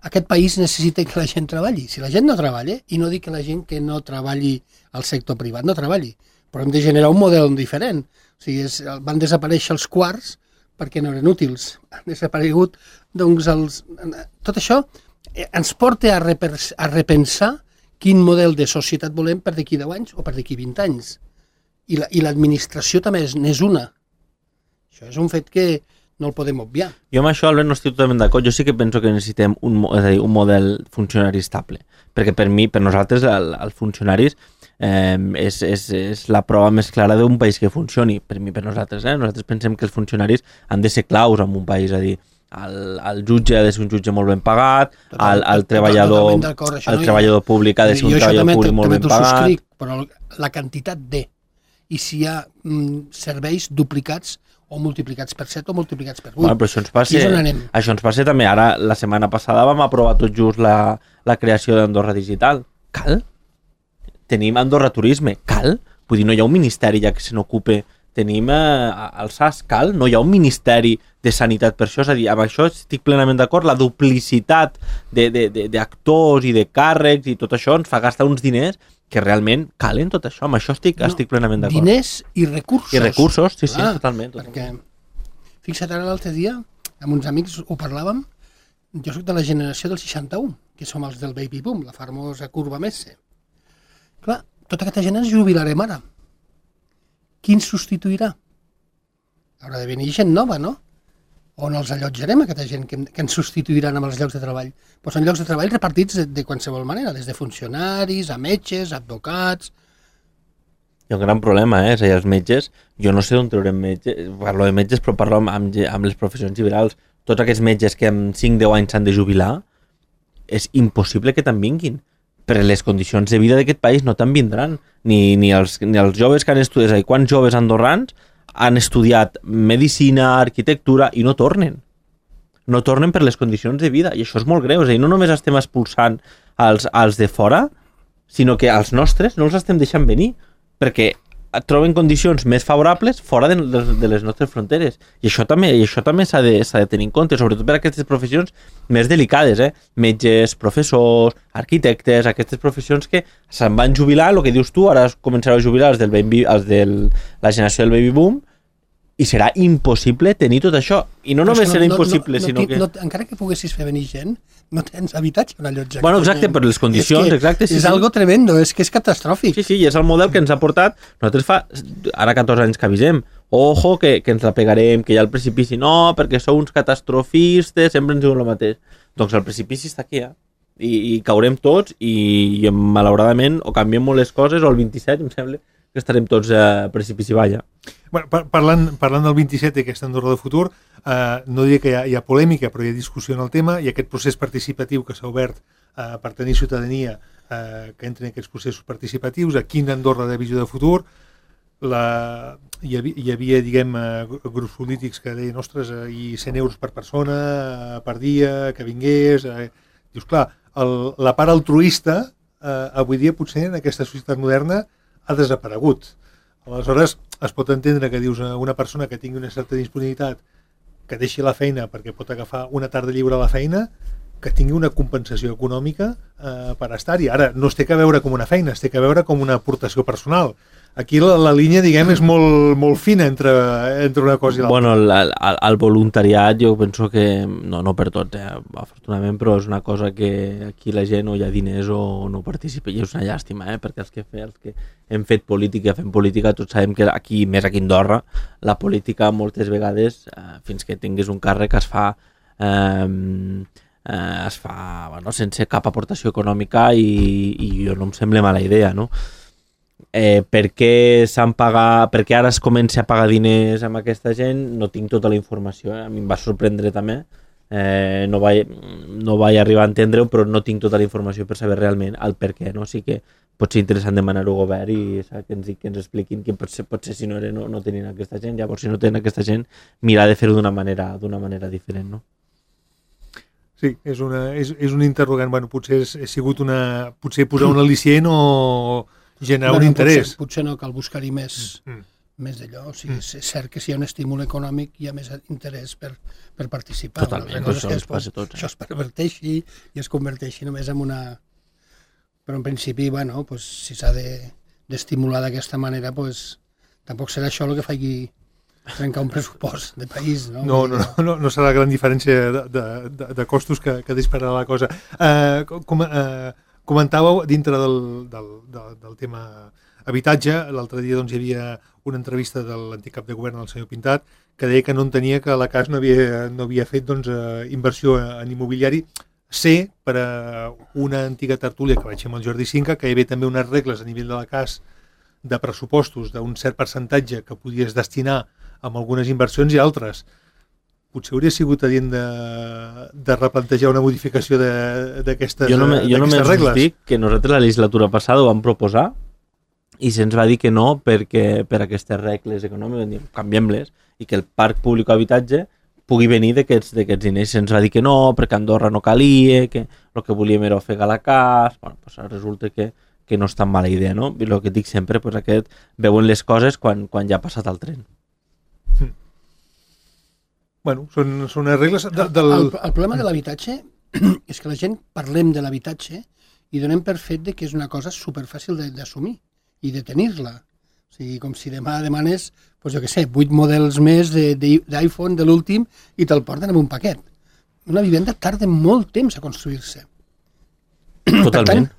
aquest país necessita que la gent treballi. Si la gent no treballa, i no dic que la gent que no treballi al sector privat no treballi, però hem de generar un model diferent. O sigui, van desaparèixer els quarts perquè no eren útils. Han desaparegut, doncs, tot això ens porta a repensar quin model de societat volem per d'aquí 10 anys o per d'aquí 20 anys. I l'administració també n'és una. Això és un fet que no el podem obviar. Jo amb això, Albert, no estic totalment d'acord. Jo sí que penso que necessitem un model funcionari estable. Perquè per nosaltres, els funcionaris és la prova més clara d'un país que funcioni. Per nosaltres. Nosaltres pensem que els funcionaris han de ser claus en un país. És a dir, el jutge ha de ser un jutge molt ben pagat, el treballador públic ha de ser un treballador públic molt ben pagat. Subscric, però la quantitat i si hi ha serveis duplicats o multiplicats per 7 o multiplicats per 8. Bueno, però això ens passa també. Ara, la setmana passada vam aprovar tot just la creació d'Andorra Digital. Cal? Tenim Andorra Turisme. Cal? Vull dir, no hi ha un ministeri ja que se n'ocupe. Tenim el SAS. Cal? No hi ha un ministeri de sanitat per això. És a dir, amb això estic plenament d'acord. La duplicitat d'actors i de càrrecs i tot això ens fa gastar uns diners que realment calen tot això. Amb això estic plenament d'acord. Diners i recursos. I recursos, sí, totalment. Perquè, fixa't, ara l'altre dia, amb uns amics ho parlàvem, jo soc de la generació del 61, que som els del baby boom, la famosa curva Messe. Clar, tota aquesta gent ens jubilarem ara. Qui ens substituirà? Haurà de venir gent nova, no? On els allotjarem, aquesta gent que ens substituiran amb els llocs de treball? Doncs són llocs de treball repartits de qualsevol manera, des de funcionaris, a metges, a advocats... Hi ha un gran problema, és a dir, els metges, jo no sé d'on traurem metges, parlo de metges però parlo amb les professions liberals, tots aquests metges que en 5-10 anys s'han de jubilar, és impossible que te'n vinguin. Per les condicions de vida d'aquest país no te'n vindran, ni els joves que han estudiat, és a dir, quants joves andorrans han estudiat medicina, arquitectura i no tornen. No tornen per les condicions de vida i això és molt greu. És a dir, no només estem expulsant els de fora, sinó que els nostres no els estem deixant venir perquè troben condicions més favorables fora de les nostres fronteres. I això també s'ha de tenir en compte, sobretot per aquestes professions més delicades, metges, professors, arquitectes, aquestes professions que se'n van jubilar, el que dius tu, ara començaran a jubilar els de la generació del baby boom, i serà impossible tenir tot això. I no només serà impossible, sinó que... Encara que poguessis fer venir gent, no tens habitatge on allotjar. Bueno, exacte, per les condicions, exacte. És algo tremendo, és que és catastròfic. Sí, i és el model que ens ha portat. Nosaltres fa ara 14 anys que avisem. Ojo, que ens la pegarem, que hi ha el precipici. No, perquè sou uns catastrofistes, sempre ens diuen el mateix. Doncs el precipici està aquí, I caurem tots i malauradament o canviem molt les coses, o el 27, em sembla, que estarem tots a precipici balla. Bueno, parlant del 27 i aquesta Andorra de futur, no diria que hi ha polèmica, però hi ha discussió en el tema, i aquest procés participatiu que s'ha obert per tenir ciutadania que entri en aquests processos participatius, a quina Andorra de visió de futur, hi havia, diguem, grups polítics que deien, ostres, i 100 euros per persona, per dia, que vingués... Dius, clar, la part altruista, avui dia potser en aquesta societat moderna ha desaparegut. Aleshores, es pot entendre que dius a una persona que tingui una certa disponibilitat, que deixi la feina perquè pot agafar una tarda lliure a la feina, que tingui una compensació econòmica per estar-hi. Ara, no es té que veure com una feina, es té que veure com una aportació personal. Aquí la línia, diguem, és molt fina entre una cosa i l'altra. Bueno, el voluntariat jo penso que, no per tots, afortunadament, però és una cosa que aquí la gent o hi ha diners o no participa, i és una llàstima, perquè els que hem fet política, fem política, tots sabem que aquí, més aquí a Andorra, la política moltes vegades, fins que tinguis un càrrec, es fa sense cap aportació econòmica i jo no em sembla mala idea, no? Per què ara es comença a pagar diners amb aquesta gent, no tinc tota la informació, a mi em va sorprendre també, no vaig arribar a entendre-ho, però no tinc tota la informació per saber realment el per què, no? Sí que pot ser interessant demanar-ho al govern i que ens expliquin que potser si no era no tenien aquesta gent, llavors si no tenen aquesta gent mirar de fer-ho d'una manera diferent, no? Sí, és un interrogant, bueno, potser ha sigut potser posar un al·licient o generar un interès. Potser no cal buscar-hi més d'allò. O sigui, és cert que si hi ha un estímul econòmic hi ha més interès per participar. Totalment, això ens passa a tots. Això es perverteixi i es converteixi només en una... Però en principi, bueno, si s'ha d'estimular d'aquesta manera, tampoc serà això el que faci trencar un pressupost de país, no? No serà la gran diferència de costos que dispararà la cosa. Comentàveu dintre del tema habitatge, l'altre dia doncs, hi havia una entrevista de l'antic cap de govern, el senyor Pintat, que deia que no entenia que la CAS no havia fet doncs, inversió en immobiliari. Sé, per a una antiga tertúlia que vaig fer amb el Jordi Cinca, que hi havia també unes regles a nivell de la CAS de pressupostos d'un cert percentatge que podies destinar a algunes inversions i altres. Potser hauria sigut adient de replantejar una modificació d'aquestes regles. Jo només us dic que nosaltres la legislatura passada ho vam proposar i se'ns va dir que no perquè per aquestes regles econòmiques canviem-les i que el parc públic d'habitatge pugui venir d'aquests diners. Se'ns va dir que no, perquè a Andorra no calia, que el que volíem era ofegar la CAS. Bueno, doncs resulta que no és tan mala idea, no? I el que dic sempre, doncs veuen les coses quan ja ha passat el tren. Bueno, són unes regles... El problema de l'habitatge és que la gent parlem de l'habitatge i donem per fet que és una cosa superfàcil d'assumir i de tenir-la. O sigui, com si demà demanes, doncs jo què sé, 8 models més d'iPhone de l'últim i te'l porten amb un paquet. Una vivenda tarda molt temps a construir-se. Totalment.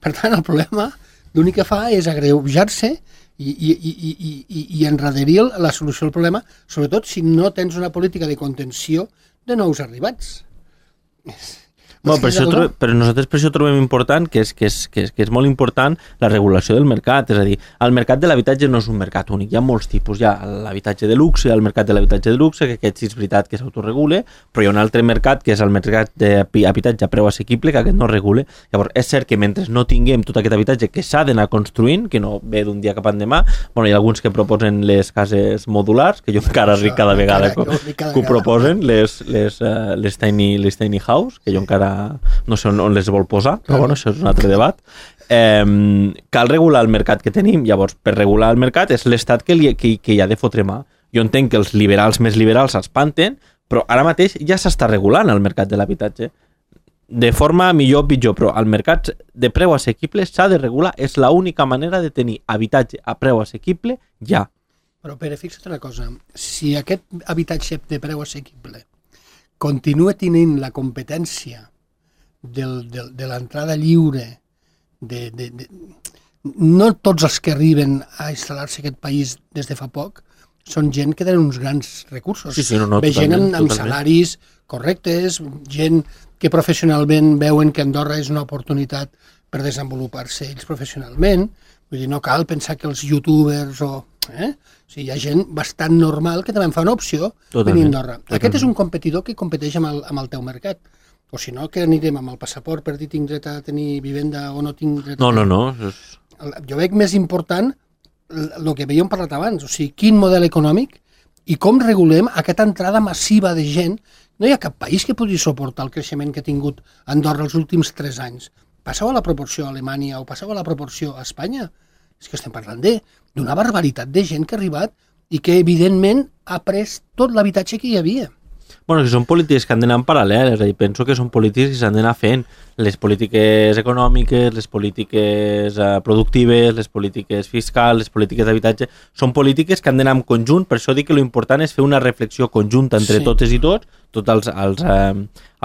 Per tant, el problema l'únic que fa és agreujar-se i enraderir la solució al problema, sobretot si no tens una política de contenció de nous arribats. Bueno, però nosaltres per això trobem important que és molt important la regulació del mercat, és a dir, el mercat de l'habitatge no és un mercat únic, hi ha molts tipus, hi ha l'habitatge de luxe, el mercat de l'habitatge de luxe, que aquest sí és veritat que s'autoregule, però hi ha un altre mercat que és el mercat d'habitatge a preu assequible, que aquest no regule. Llavors, és cert que mentre no tinguem tot aquest habitatge que s'ha d'anar construint, que no ve d'un dia cap endemà, bueno, hi ha alguns que proposen les cases modulars, que jo encara ric cada vegada que ho proposen, les tiny house, que jo encara no sé on les vol posar, però bueno, això és un altre debat. Cal regular el mercat que tenim. Llavors, per regular el mercat és l'Estat que hi ha de fotre mà. Jo entenc que els liberals més liberals s'espanten, però ara mateix ja s'està regulant el mercat de l'habitatge. De forma millor o pitjor, però el mercat de preu assequible s'ha de regular. És l'única manera de tenir habitatge a preu assequible ja. Però Pere, fixa't una cosa. Si aquest habitatge de preu assequible continua tenint la competència de l'entrada lliure, no tots els que arriben a instal·lar-se a aquest país des de fa poc són gent que tenen uns grans recursos. Sí, ve gent amb salaris correctes, gent que professionalment veuen que Andorra és una oportunitat per desenvolupar-se ells professionalment. Vull dir, no cal pensar que els youtubers o... O sigui, hi ha gent bastant normal que també en fa una opció venir a Andorra. Aquest és un competidor que competeix amb el teu mercat. O si no, que anirem amb el passaport per dir tinc dret a tenir vivenda o no tinc dret a... No. Jo veig més important el que havíem parlat abans, o sigui, quin model econòmic i com regulem aquesta entrada massiva de gent. No hi ha cap país que pugui suportar el creixement que ha tingut Andorra els últims 3 anys. Passeu a la proporció a Alemanya o passeu a la proporció a Espanya. És que estem parlant d'una barbaritat de gent que ha arribat i que, evidentment, ha pres tot l'habitatge que hi havia. Bueno, que són polítiques que han d'anar en paral·lel, és a dir, penso que són polítiques que s'han d'anar fent. Les polítiques econòmiques, les polítiques productives, les polítiques fiscals, les polítiques d'habitatge, són polítiques que han d'anar en conjunt, per això dic que l'important és fer una reflexió conjunta entre totes i tots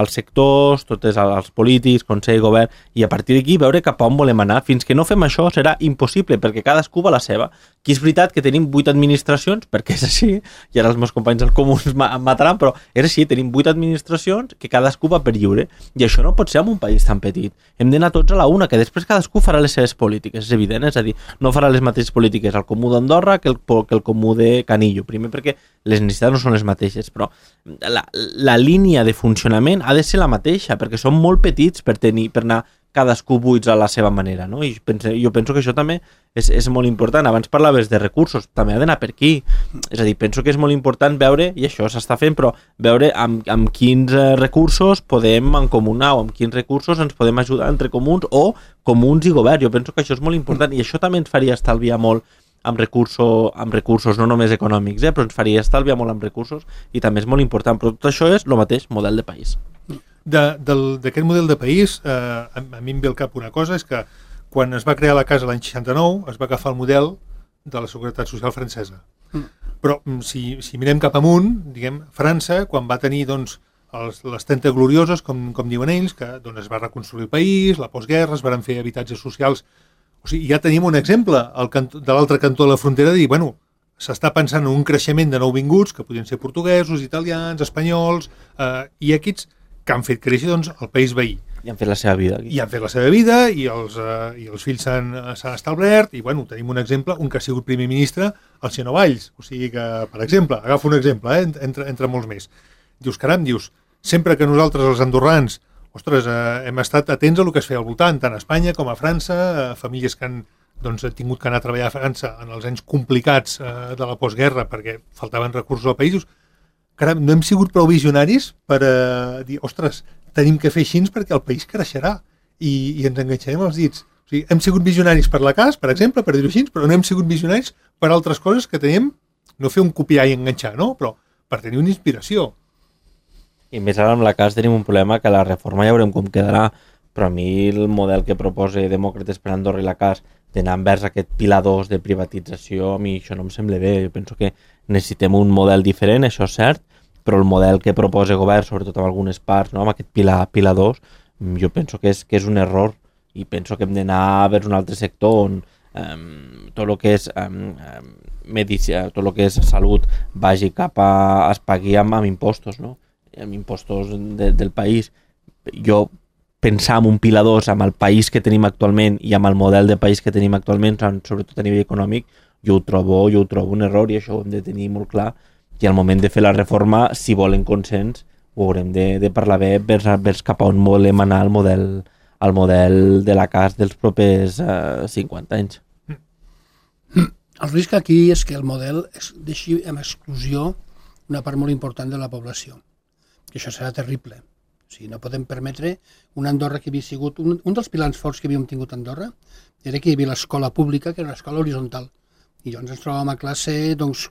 els sectors, tots els polítics, Consell, Govern, i a partir d'aquí veure cap a on volem anar. Fins que no fem això serà impossible, perquè cadascú va la seva. Aquí és veritat que tenim 8 administracions, perquè és així, i ara els meus companys del Comú em mataran, però és així, tenim 8 administracions que cadascú va per lliure, i això no pot ser en un país tan petit. Hem d'anar tots a la una, que després cadascú farà les seves polítiques, és evident, és a dir, no farà les mateixes polítiques al Comú d'Andorra que el Comú de Canillo, primer perquè les necessitats no són les mateixes, però la línia de funcionament ha de ser la mateixa, perquè són molt petits per anar cadascú buits a la seva manera, no? I jo penso que això també és molt important. Abans parlaves de recursos, també ha d'anar per aquí. És a dir, penso que és molt important veure, i això s'està fent, però veure amb quins recursos podem mancomunar o amb quins recursos ens podem ajudar entre comuns o comuns i govern. Jo penso que això és molt important i això també ens faria estalviar molt amb recursos no només econòmics, però ens faria estalviar molt amb recursos i també és molt important. Però tot això és el mateix model de país. D'aquest model de país, a mi em ve al cap una cosa, és que quan es va crear la casa l'any 69 es va agafar el model de la Seguretat Social francesa. Però si mirem cap amunt, diguem, França, quan va tenir doncs, les 30 glorioses, com diuen ells, que doncs, es va reconstruir el país, la postguerra, es van fer habitatges socials. O sigui, ja tenim un exemple de l'altre cantó de la frontera de dir, bueno, s'està pensant en un creixement de nouvinguts, que podrien ser portuguesos, italians, espanyols, i aquests que han fet créixer doncs, el país veí. I han fet la seva vida. Aquí. I han fet la seva vida, i els fills s'han establert, i bueno, tenim un exemple, un que ha sigut primer ministre, el senyor Valls. O sigui que, per exemple, agafo un exemple, entre molts més. Dius, caram, sempre que nosaltres, els andorrans, ostres, hem estat atents a el que es feia al voltant, tant a Espanya com a França, famílies que han tingut que anar a treballar a França en els anys complicats de la postguerra perquè faltaven recursos al país. Caram, no hem sigut prou visionaris per dir, ostres, tenim que fer així perquè el país creixerà i ens enganxarem els dits. O sigui, hem sigut visionaris per la CAS, per exemple, per dir-ho així, però no hem sigut visionaris per altres coses que tenim, no fer un copiar i enganxar, no? Però per tenir una inspiració. I més ara amb la CAS tenim un problema que la reforma ja veurem com quedarà, però a mi el model que proposa Demòcrates per Andorra i la CAS d'anar envers aquest pilar 2 de privatització, a mi això no em sembla bé. Jo penso que necessitem un model diferent, això és cert, però el model que proposa el govern, sobretot amb algunes parts, no? Amb aquest pilar 2, jo penso que és un error i penso que hem d'anar vers un altre sector on tot el que és medicina, tot el que és salut vagi cap a es pagui amb impostos, no? Amb impostos del país. Jo pensar en un pilar 2 amb el país que tenim actualment i amb el model de país que tenim actualment, sobretot a nivell econòmic, jo ho trobo un error i això ho hem de tenir molt clar i al moment de fer la reforma, si volen consens, ho haurem de parlar bé vers cap a on volem anar al model de la CAS dels propers 50 anys. El risc aquí és que el model deixi en exclusió una part molt important de la població. Que això serà terrible. O sigui, no podem permetre una Andorra que havia sigut... Un dels pilars forts que havíem tingut a Andorra era que hi havia l'escola pública, que era una escola horitzontal. I llavors ens trobàvem a classe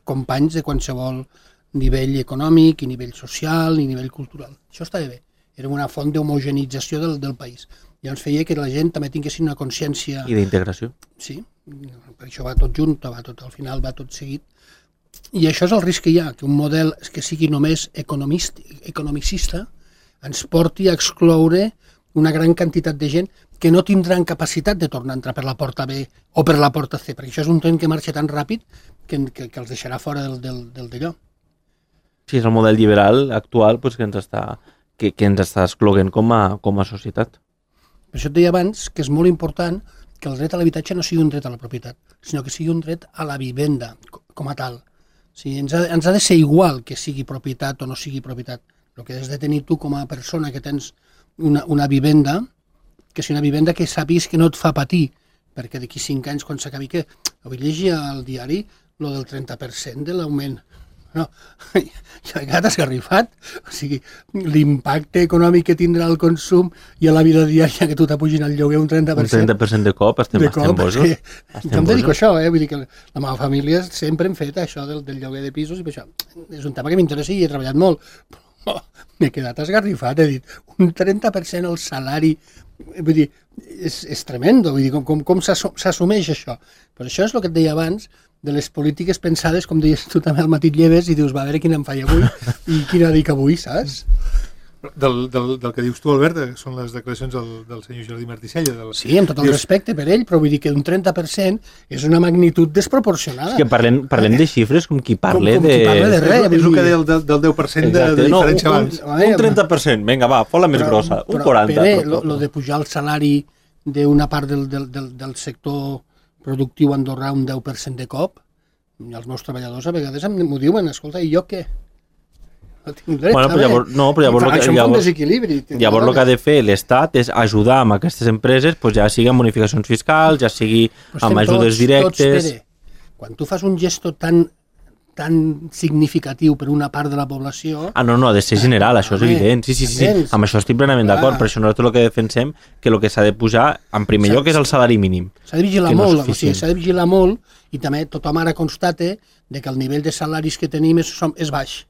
companys de qualsevol nivell econòmic, i nivell social, i nivell cultural. Això estava bé. Era una font d'homogenització del país. Llavors feia que la gent també tinguessin una consciència... I d'integració. Sí, per això va tot junt, al final va tot seguit. I això és el risc que hi ha, que un model que sigui només economicista ens porti a excloure una gran quantitat de gent que no tindran capacitat de tornar a entrar per la porta B o per la porta C, perquè això és un tren que marxa tan ràpid que els deixarà fora del d'allò. Sí, és el model liberal actual que ens està excloent com a societat. Per això et deia abans que és molt important que el dret a l'habitatge no sigui un dret a la propietat, sinó que sigui un dret a la vivenda com a tal. O sigui, ens ha de ser igual que sigui propietat o no sigui propietat. El que has de tenir tu com a persona que tens una vivenda, que sigui una vivenda que sàpigues que no et fa patir, perquè d'aquí 5 anys, quan s'acabi, que avui llegia al diari lo del 30% de l'augment. No, ja he quedat esgarrifat. O sigui, l'impacte econòmic que tindrà el consum i a la vida diària que tu t'apugin el lloguer un 30%. Un 30% de cop, estem bojos. Jo em dedico a això, vull dir que la meva família sempre hem fet això del lloguer de pisos i per això és un tema que m'interessa i he treballat molt. Però m'he quedat esgarrifat, he dit, un 30% el salari, vull dir, és tremendo, vull dir, com s'assumeix això? Però això és el que et deia abans, de les polítiques pensades, com deies tu també al matí et lleves i dius, va, a veure quina em faig avui i quina dic avui, saps? Del que dius tu, Albert, són les declaracions del senyor Jordi Marticella. Sí, amb tot el respecte per ell, però vull dir que un 30% és una magnitud desproporcionada. És que parlem de xifres com qui parla de... Qui parla de res. És el que deia del 10% de diferència abans. Un 30%, vinga, va, fot la més grossa, un 40%. Però lo de pujar el salari d'una part del sector productiu andorrà un 10% de cop, els meus treballadors a vegades m'ho diuen, escolta, i jo què? No tinc dret, llavors el que ha de fer l'Estat és ajudar amb aquestes empreses, ja sigui amb bonificacions fiscals, ja sigui amb ajudes directes. Quan tu fas un gesto tan significatiu per una part de la població... No, ha de ser general, això és evident. Sí, amb això estic plenament d'acord, per això nosaltres el que defensem que el que s'ha de pujar, en primer lloc, és el salari mínim. S'ha de vigilar molt, s'ha de vigilar molt, i també tothom ara constate que el nivell de salaris que tenim és baix.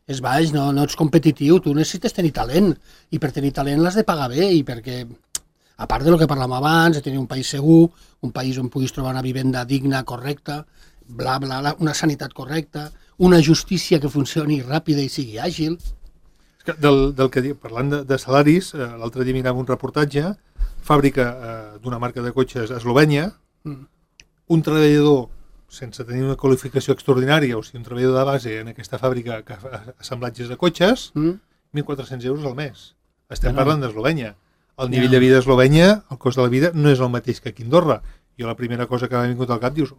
És baix, no ets competitiu, tu necessites tenir talent, i per tenir talent l'has de pagar bé, i perquè, a part del que parlàvem abans, de tenir un país segur, un país on puguis trobar una vivenda digna, correcta, bla, bla, una sanitat correcta, una justícia que funcioni ràpida i sigui àgil. Del que diu, parlant de salaris, l'altre dia mirava un reportatge, fàbrica d'una marca de cotxes a Eslovènia, un treballador sense tenir una qualificació extraordinària, o sigui, un treballador de base en aquesta fàbrica que fa assemblatges de cotxes, 1.400 euros al mes. Estem parlant d'Eslovènia. El nivell de vida d'Eslovènia, el cost de la vida, no és el mateix que aquí a Andorra. Jo la primera cosa que m'ha vingut al cap, dius,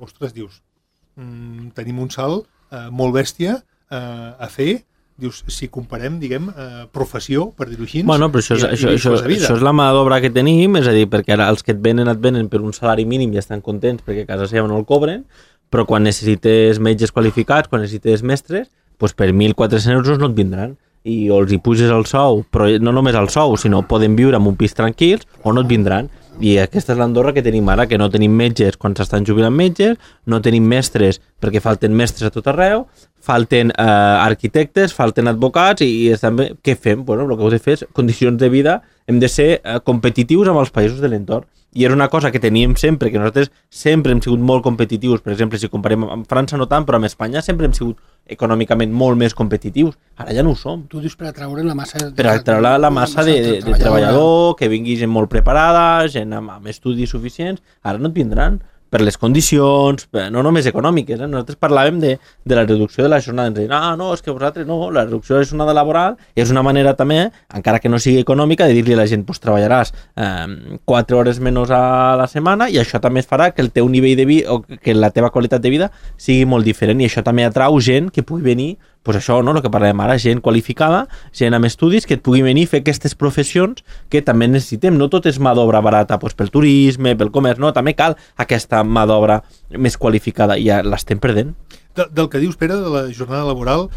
tenim un salt molt bèstia a fer, dius, si comparem, diguem, professió, per dir-ho així, bueno, però això és la mà d'obra que tenim, és a dir, perquè ara els que et venen per un salari mínim i estan contents perquè a casa seva no el cobren, però quan necessites metges qualificats, quan necessites mestres, doncs per 1.400 euros no et vindran. I o els hi puges el sou, però no només el sou, sinó poden viure en un pis tranquils o no et vindran. I aquesta és l'Andorra que tenim ara, que no tenim metges quan s'estan jubilant metges, no tenim mestres perquè falten mestres a tot arreu, falten arquitectes, falten advocats i estan bé. Què fem? Bueno, el que heu de fer és condicions de vida, hem de ser competitius amb els països de l'entorn. I era una cosa que teníem sempre, que nosaltres sempre hem sigut molt competitius. Per exemple, si comparem amb França no tant, però amb Espanya sempre hem sigut econòmicament molt més competitius. Ara ja no ho som. Tu dius per atraure la massa... Per atraure la massa de treballador, que vingui gent molt preparada, gent amb estudis suficients. Ara no et vindran per les condicions, no només econòmiques. Nosaltres parlàvem de la reducció de la jornada. Ens deien, no, és que vosaltres no, la reducció de la jornada laboral és una manera també, encara que no sigui econòmica, de dir-li a la gent, pues treballaràs 4 hores menys a la setmana i això també es farà que el teu nivell de vida o que la teva qualitat de vida sigui molt diferent i això també atrau gent que pugui venir, pues això, no, el que parlem ara, gent qualificada, gent amb estudis que et pugui venir a fer aquestes professions que també necessitem. No tot és mà d'obra barata, pues pel turisme, pel comerç, no, també cal aquesta mà d'obra més qualificada i ja l'estem perdent. Del que dius, Pere, de la jornada laboral,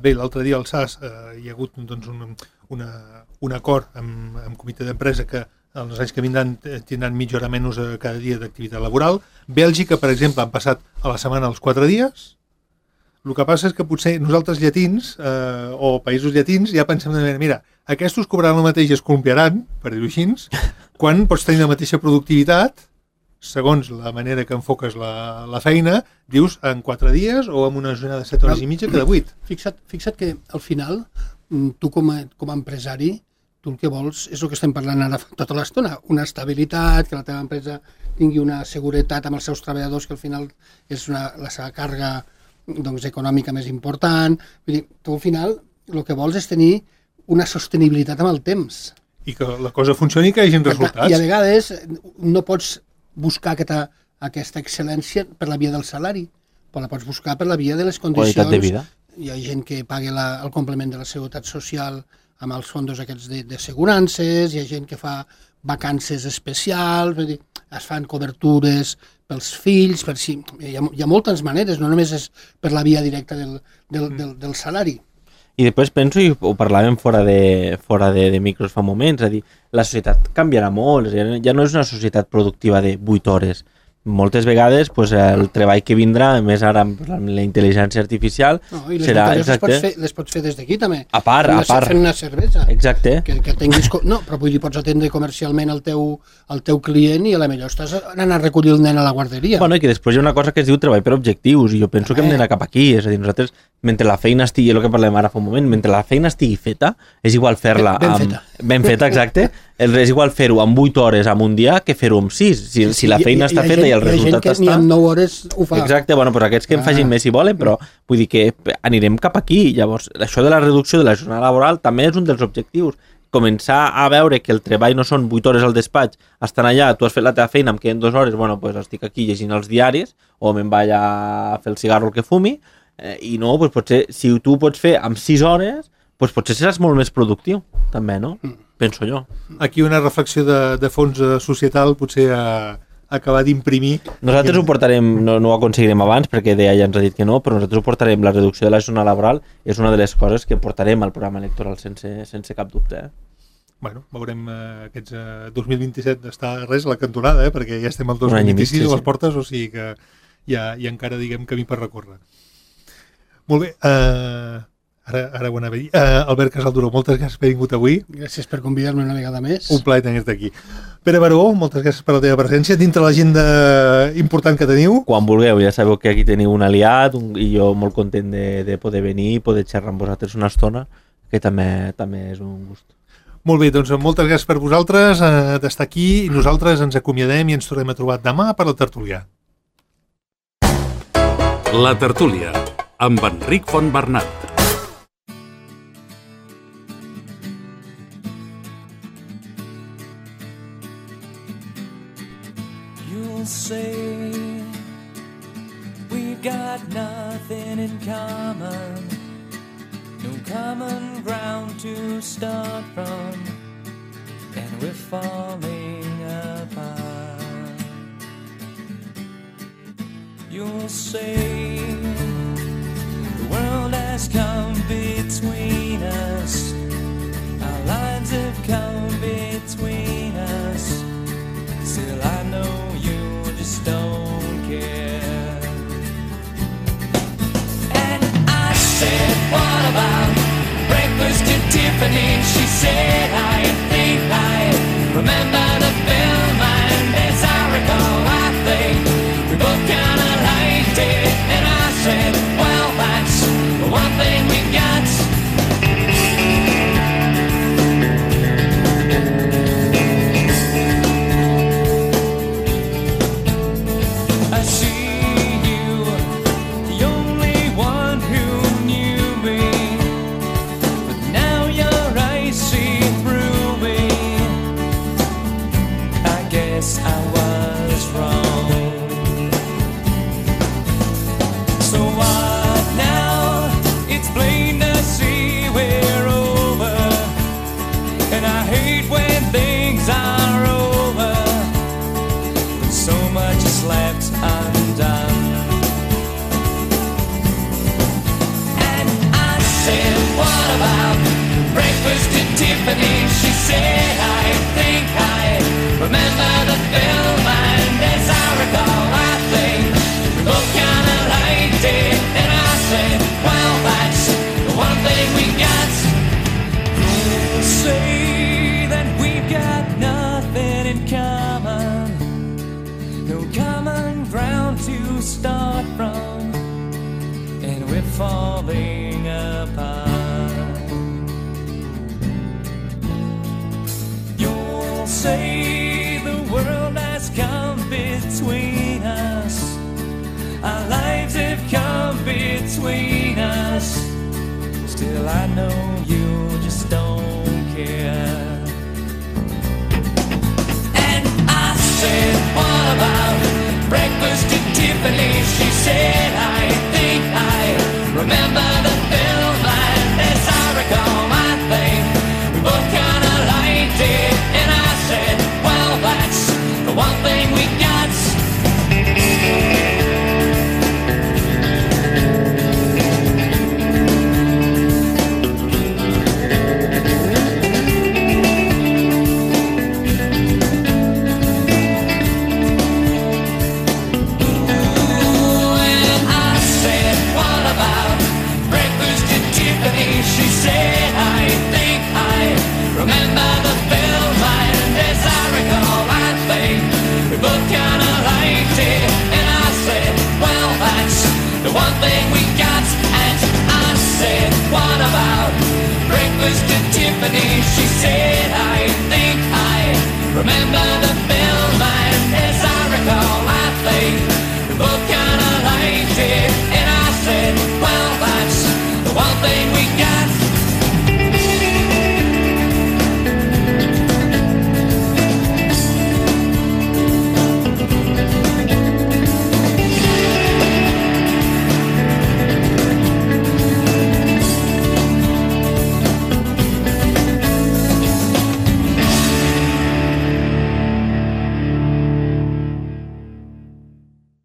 bé, l'altre dia al SAS hi ha hagut doncs, un acord amb comitè d'empresa que en els anys que vindran tindran mitja hora menys cada dia d'activitat laboral. Bèlgica, per exemple, han passat a la setmana els 4 dies. El que passa és que potser nosaltres llatins o països llatins ja pensem de manera, mira, aquests cobraran el mateix i es columpiaran, per dir-ho així, quan pots tenir la mateixa productivitat, segons la manera que enfoques la feina, dius en 4 dies o en una jornada de 7 hores i mitja que de 8. Fixa't que al final, tu com a empresari, tu el que vols és el que estem parlant ara tota l'estona, una estabilitat, que la teva empresa tingui una seguretat amb els seus treballadors, que al final és la seva càrrega doncs, econòmica més important. Vull dir, tu al final el que vols és tenir una sostenibilitat amb el temps. I que la cosa funcioni i que hi hagi resultats. I a vegades no pots buscar aquesta excel·lència per la via del salari, però la pots buscar per la via de les condicions. Qualitat de vida. Hi ha gent que paga el complement de la seguretat social amb els fons aquests d'assegurances, hi ha gent que fa vacances especials, vull dir, es fan cobertures pels fills, hi ha moltes maneres, no només és per la via directa del salari. I després penso, i ho parlàvem fora de micros fa moments, és a dir, la societat canviarà molt, ja no és una societat productiva de 8 hores. Moltes vegades el treball que vindrà, més ara amb la intel·ligència artificial, serà... Les pots fer des d'aquí també. A part. Fent una cervesa. Exacte. Que tinguis... No, però vull dir, pots atendre comercialment el teu client i a la millor estàs anant a recollir el nen a la guarderia. Bueno, i que després hi ha una cosa que es diu treball per objectius, i jo penso que hem d'anar cap aquí. És a dir, nosaltres, mentre la feina estigui, el que parlem ara fa un moment, mentre la feina estigui feta, és igual fer-la... Ben feta, exacte. És igual fer-ho amb 8 hores en un dia que fer-ho amb 6. Si la feina està feta i el resultat està... Hi ha gent que ni amb 9 hores ho fa. Exacte, bueno, doncs aquests que en facin més si volen, però vull dir que anirem cap aquí. Llavors, això de la reducció de la jornada laboral també és un dels objectius. Començar a veure que el treball no són 8 hores al despatx, estan allà, tu has fet la teva feina, em queden 2 hores, bueno, doncs estic aquí llegint els diaris, o me'n vaig a fer el cigarro el que fumi, i no, doncs potser, si tu ho pots fer amb 6 hores, doncs potser seràs molt més productiu, també, no? Penso jo. Aquí una reflexió de fons societal potser acabar d'imprimir... Nosaltres ho portarem, no ho aconseguirem abans perquè DEA ja ens ha dit que no, però nosaltres ho portarem, la reducció de la jornada laboral és una de les coses que portarem al programa electoral sense cap dubte. Bueno, veurem aquests 2027 està res a la cantonada, perquè ja estem al 2026 a les portes, o sigui que hi ha encara, diguem, camí per recórrer. Molt bé, ara ho anava a dir. Albert Casalduró, moltes gràcies per haver vingut avui. Gràcies per convidar-me una vegada més. Un plaer tenir-te aquí. Pere Baró, moltes gràcies per la teva presència dintre l'agenda important que teniu. Quan vulgueu, ja sabeu que aquí teniu un aliat i jo molt content de poder venir i poder xerrar amb vosaltres una estona, que també és un gust. Molt bé, doncs moltes gràcies per vosaltres d'estar aquí i nosaltres ens acomiadem i ens tornem a trobar demà per la tertúlia. La tertúlia, amb Enric Fontbernat. You'll say we've got nothing in common, no common ground to start from, and we're falling apart. You'll say the world has come between us, our lines have come between us. Still I know you just don't care. And I said, what about breakfast at Tiffany's? She said, I think I remember the film, and as I recall, I think we both kinda liked it. And I said, well, that's the one thing we got. Tiffany, she said, I think I remember the film, and as I recall, I think we both kinda liked it. And I said, well, that's the one thing we got. You'll say that we've got nothing in common, no common ground to start from, and we're falling apart. Say the world has come between us, our lives have come between us. Still I know you just don't care. And I said, what about breakfast at Tiffany's? She said, I think I remember the film, and as I recall, I think we both kinda liked it. And I said, well, that's the one thing we got.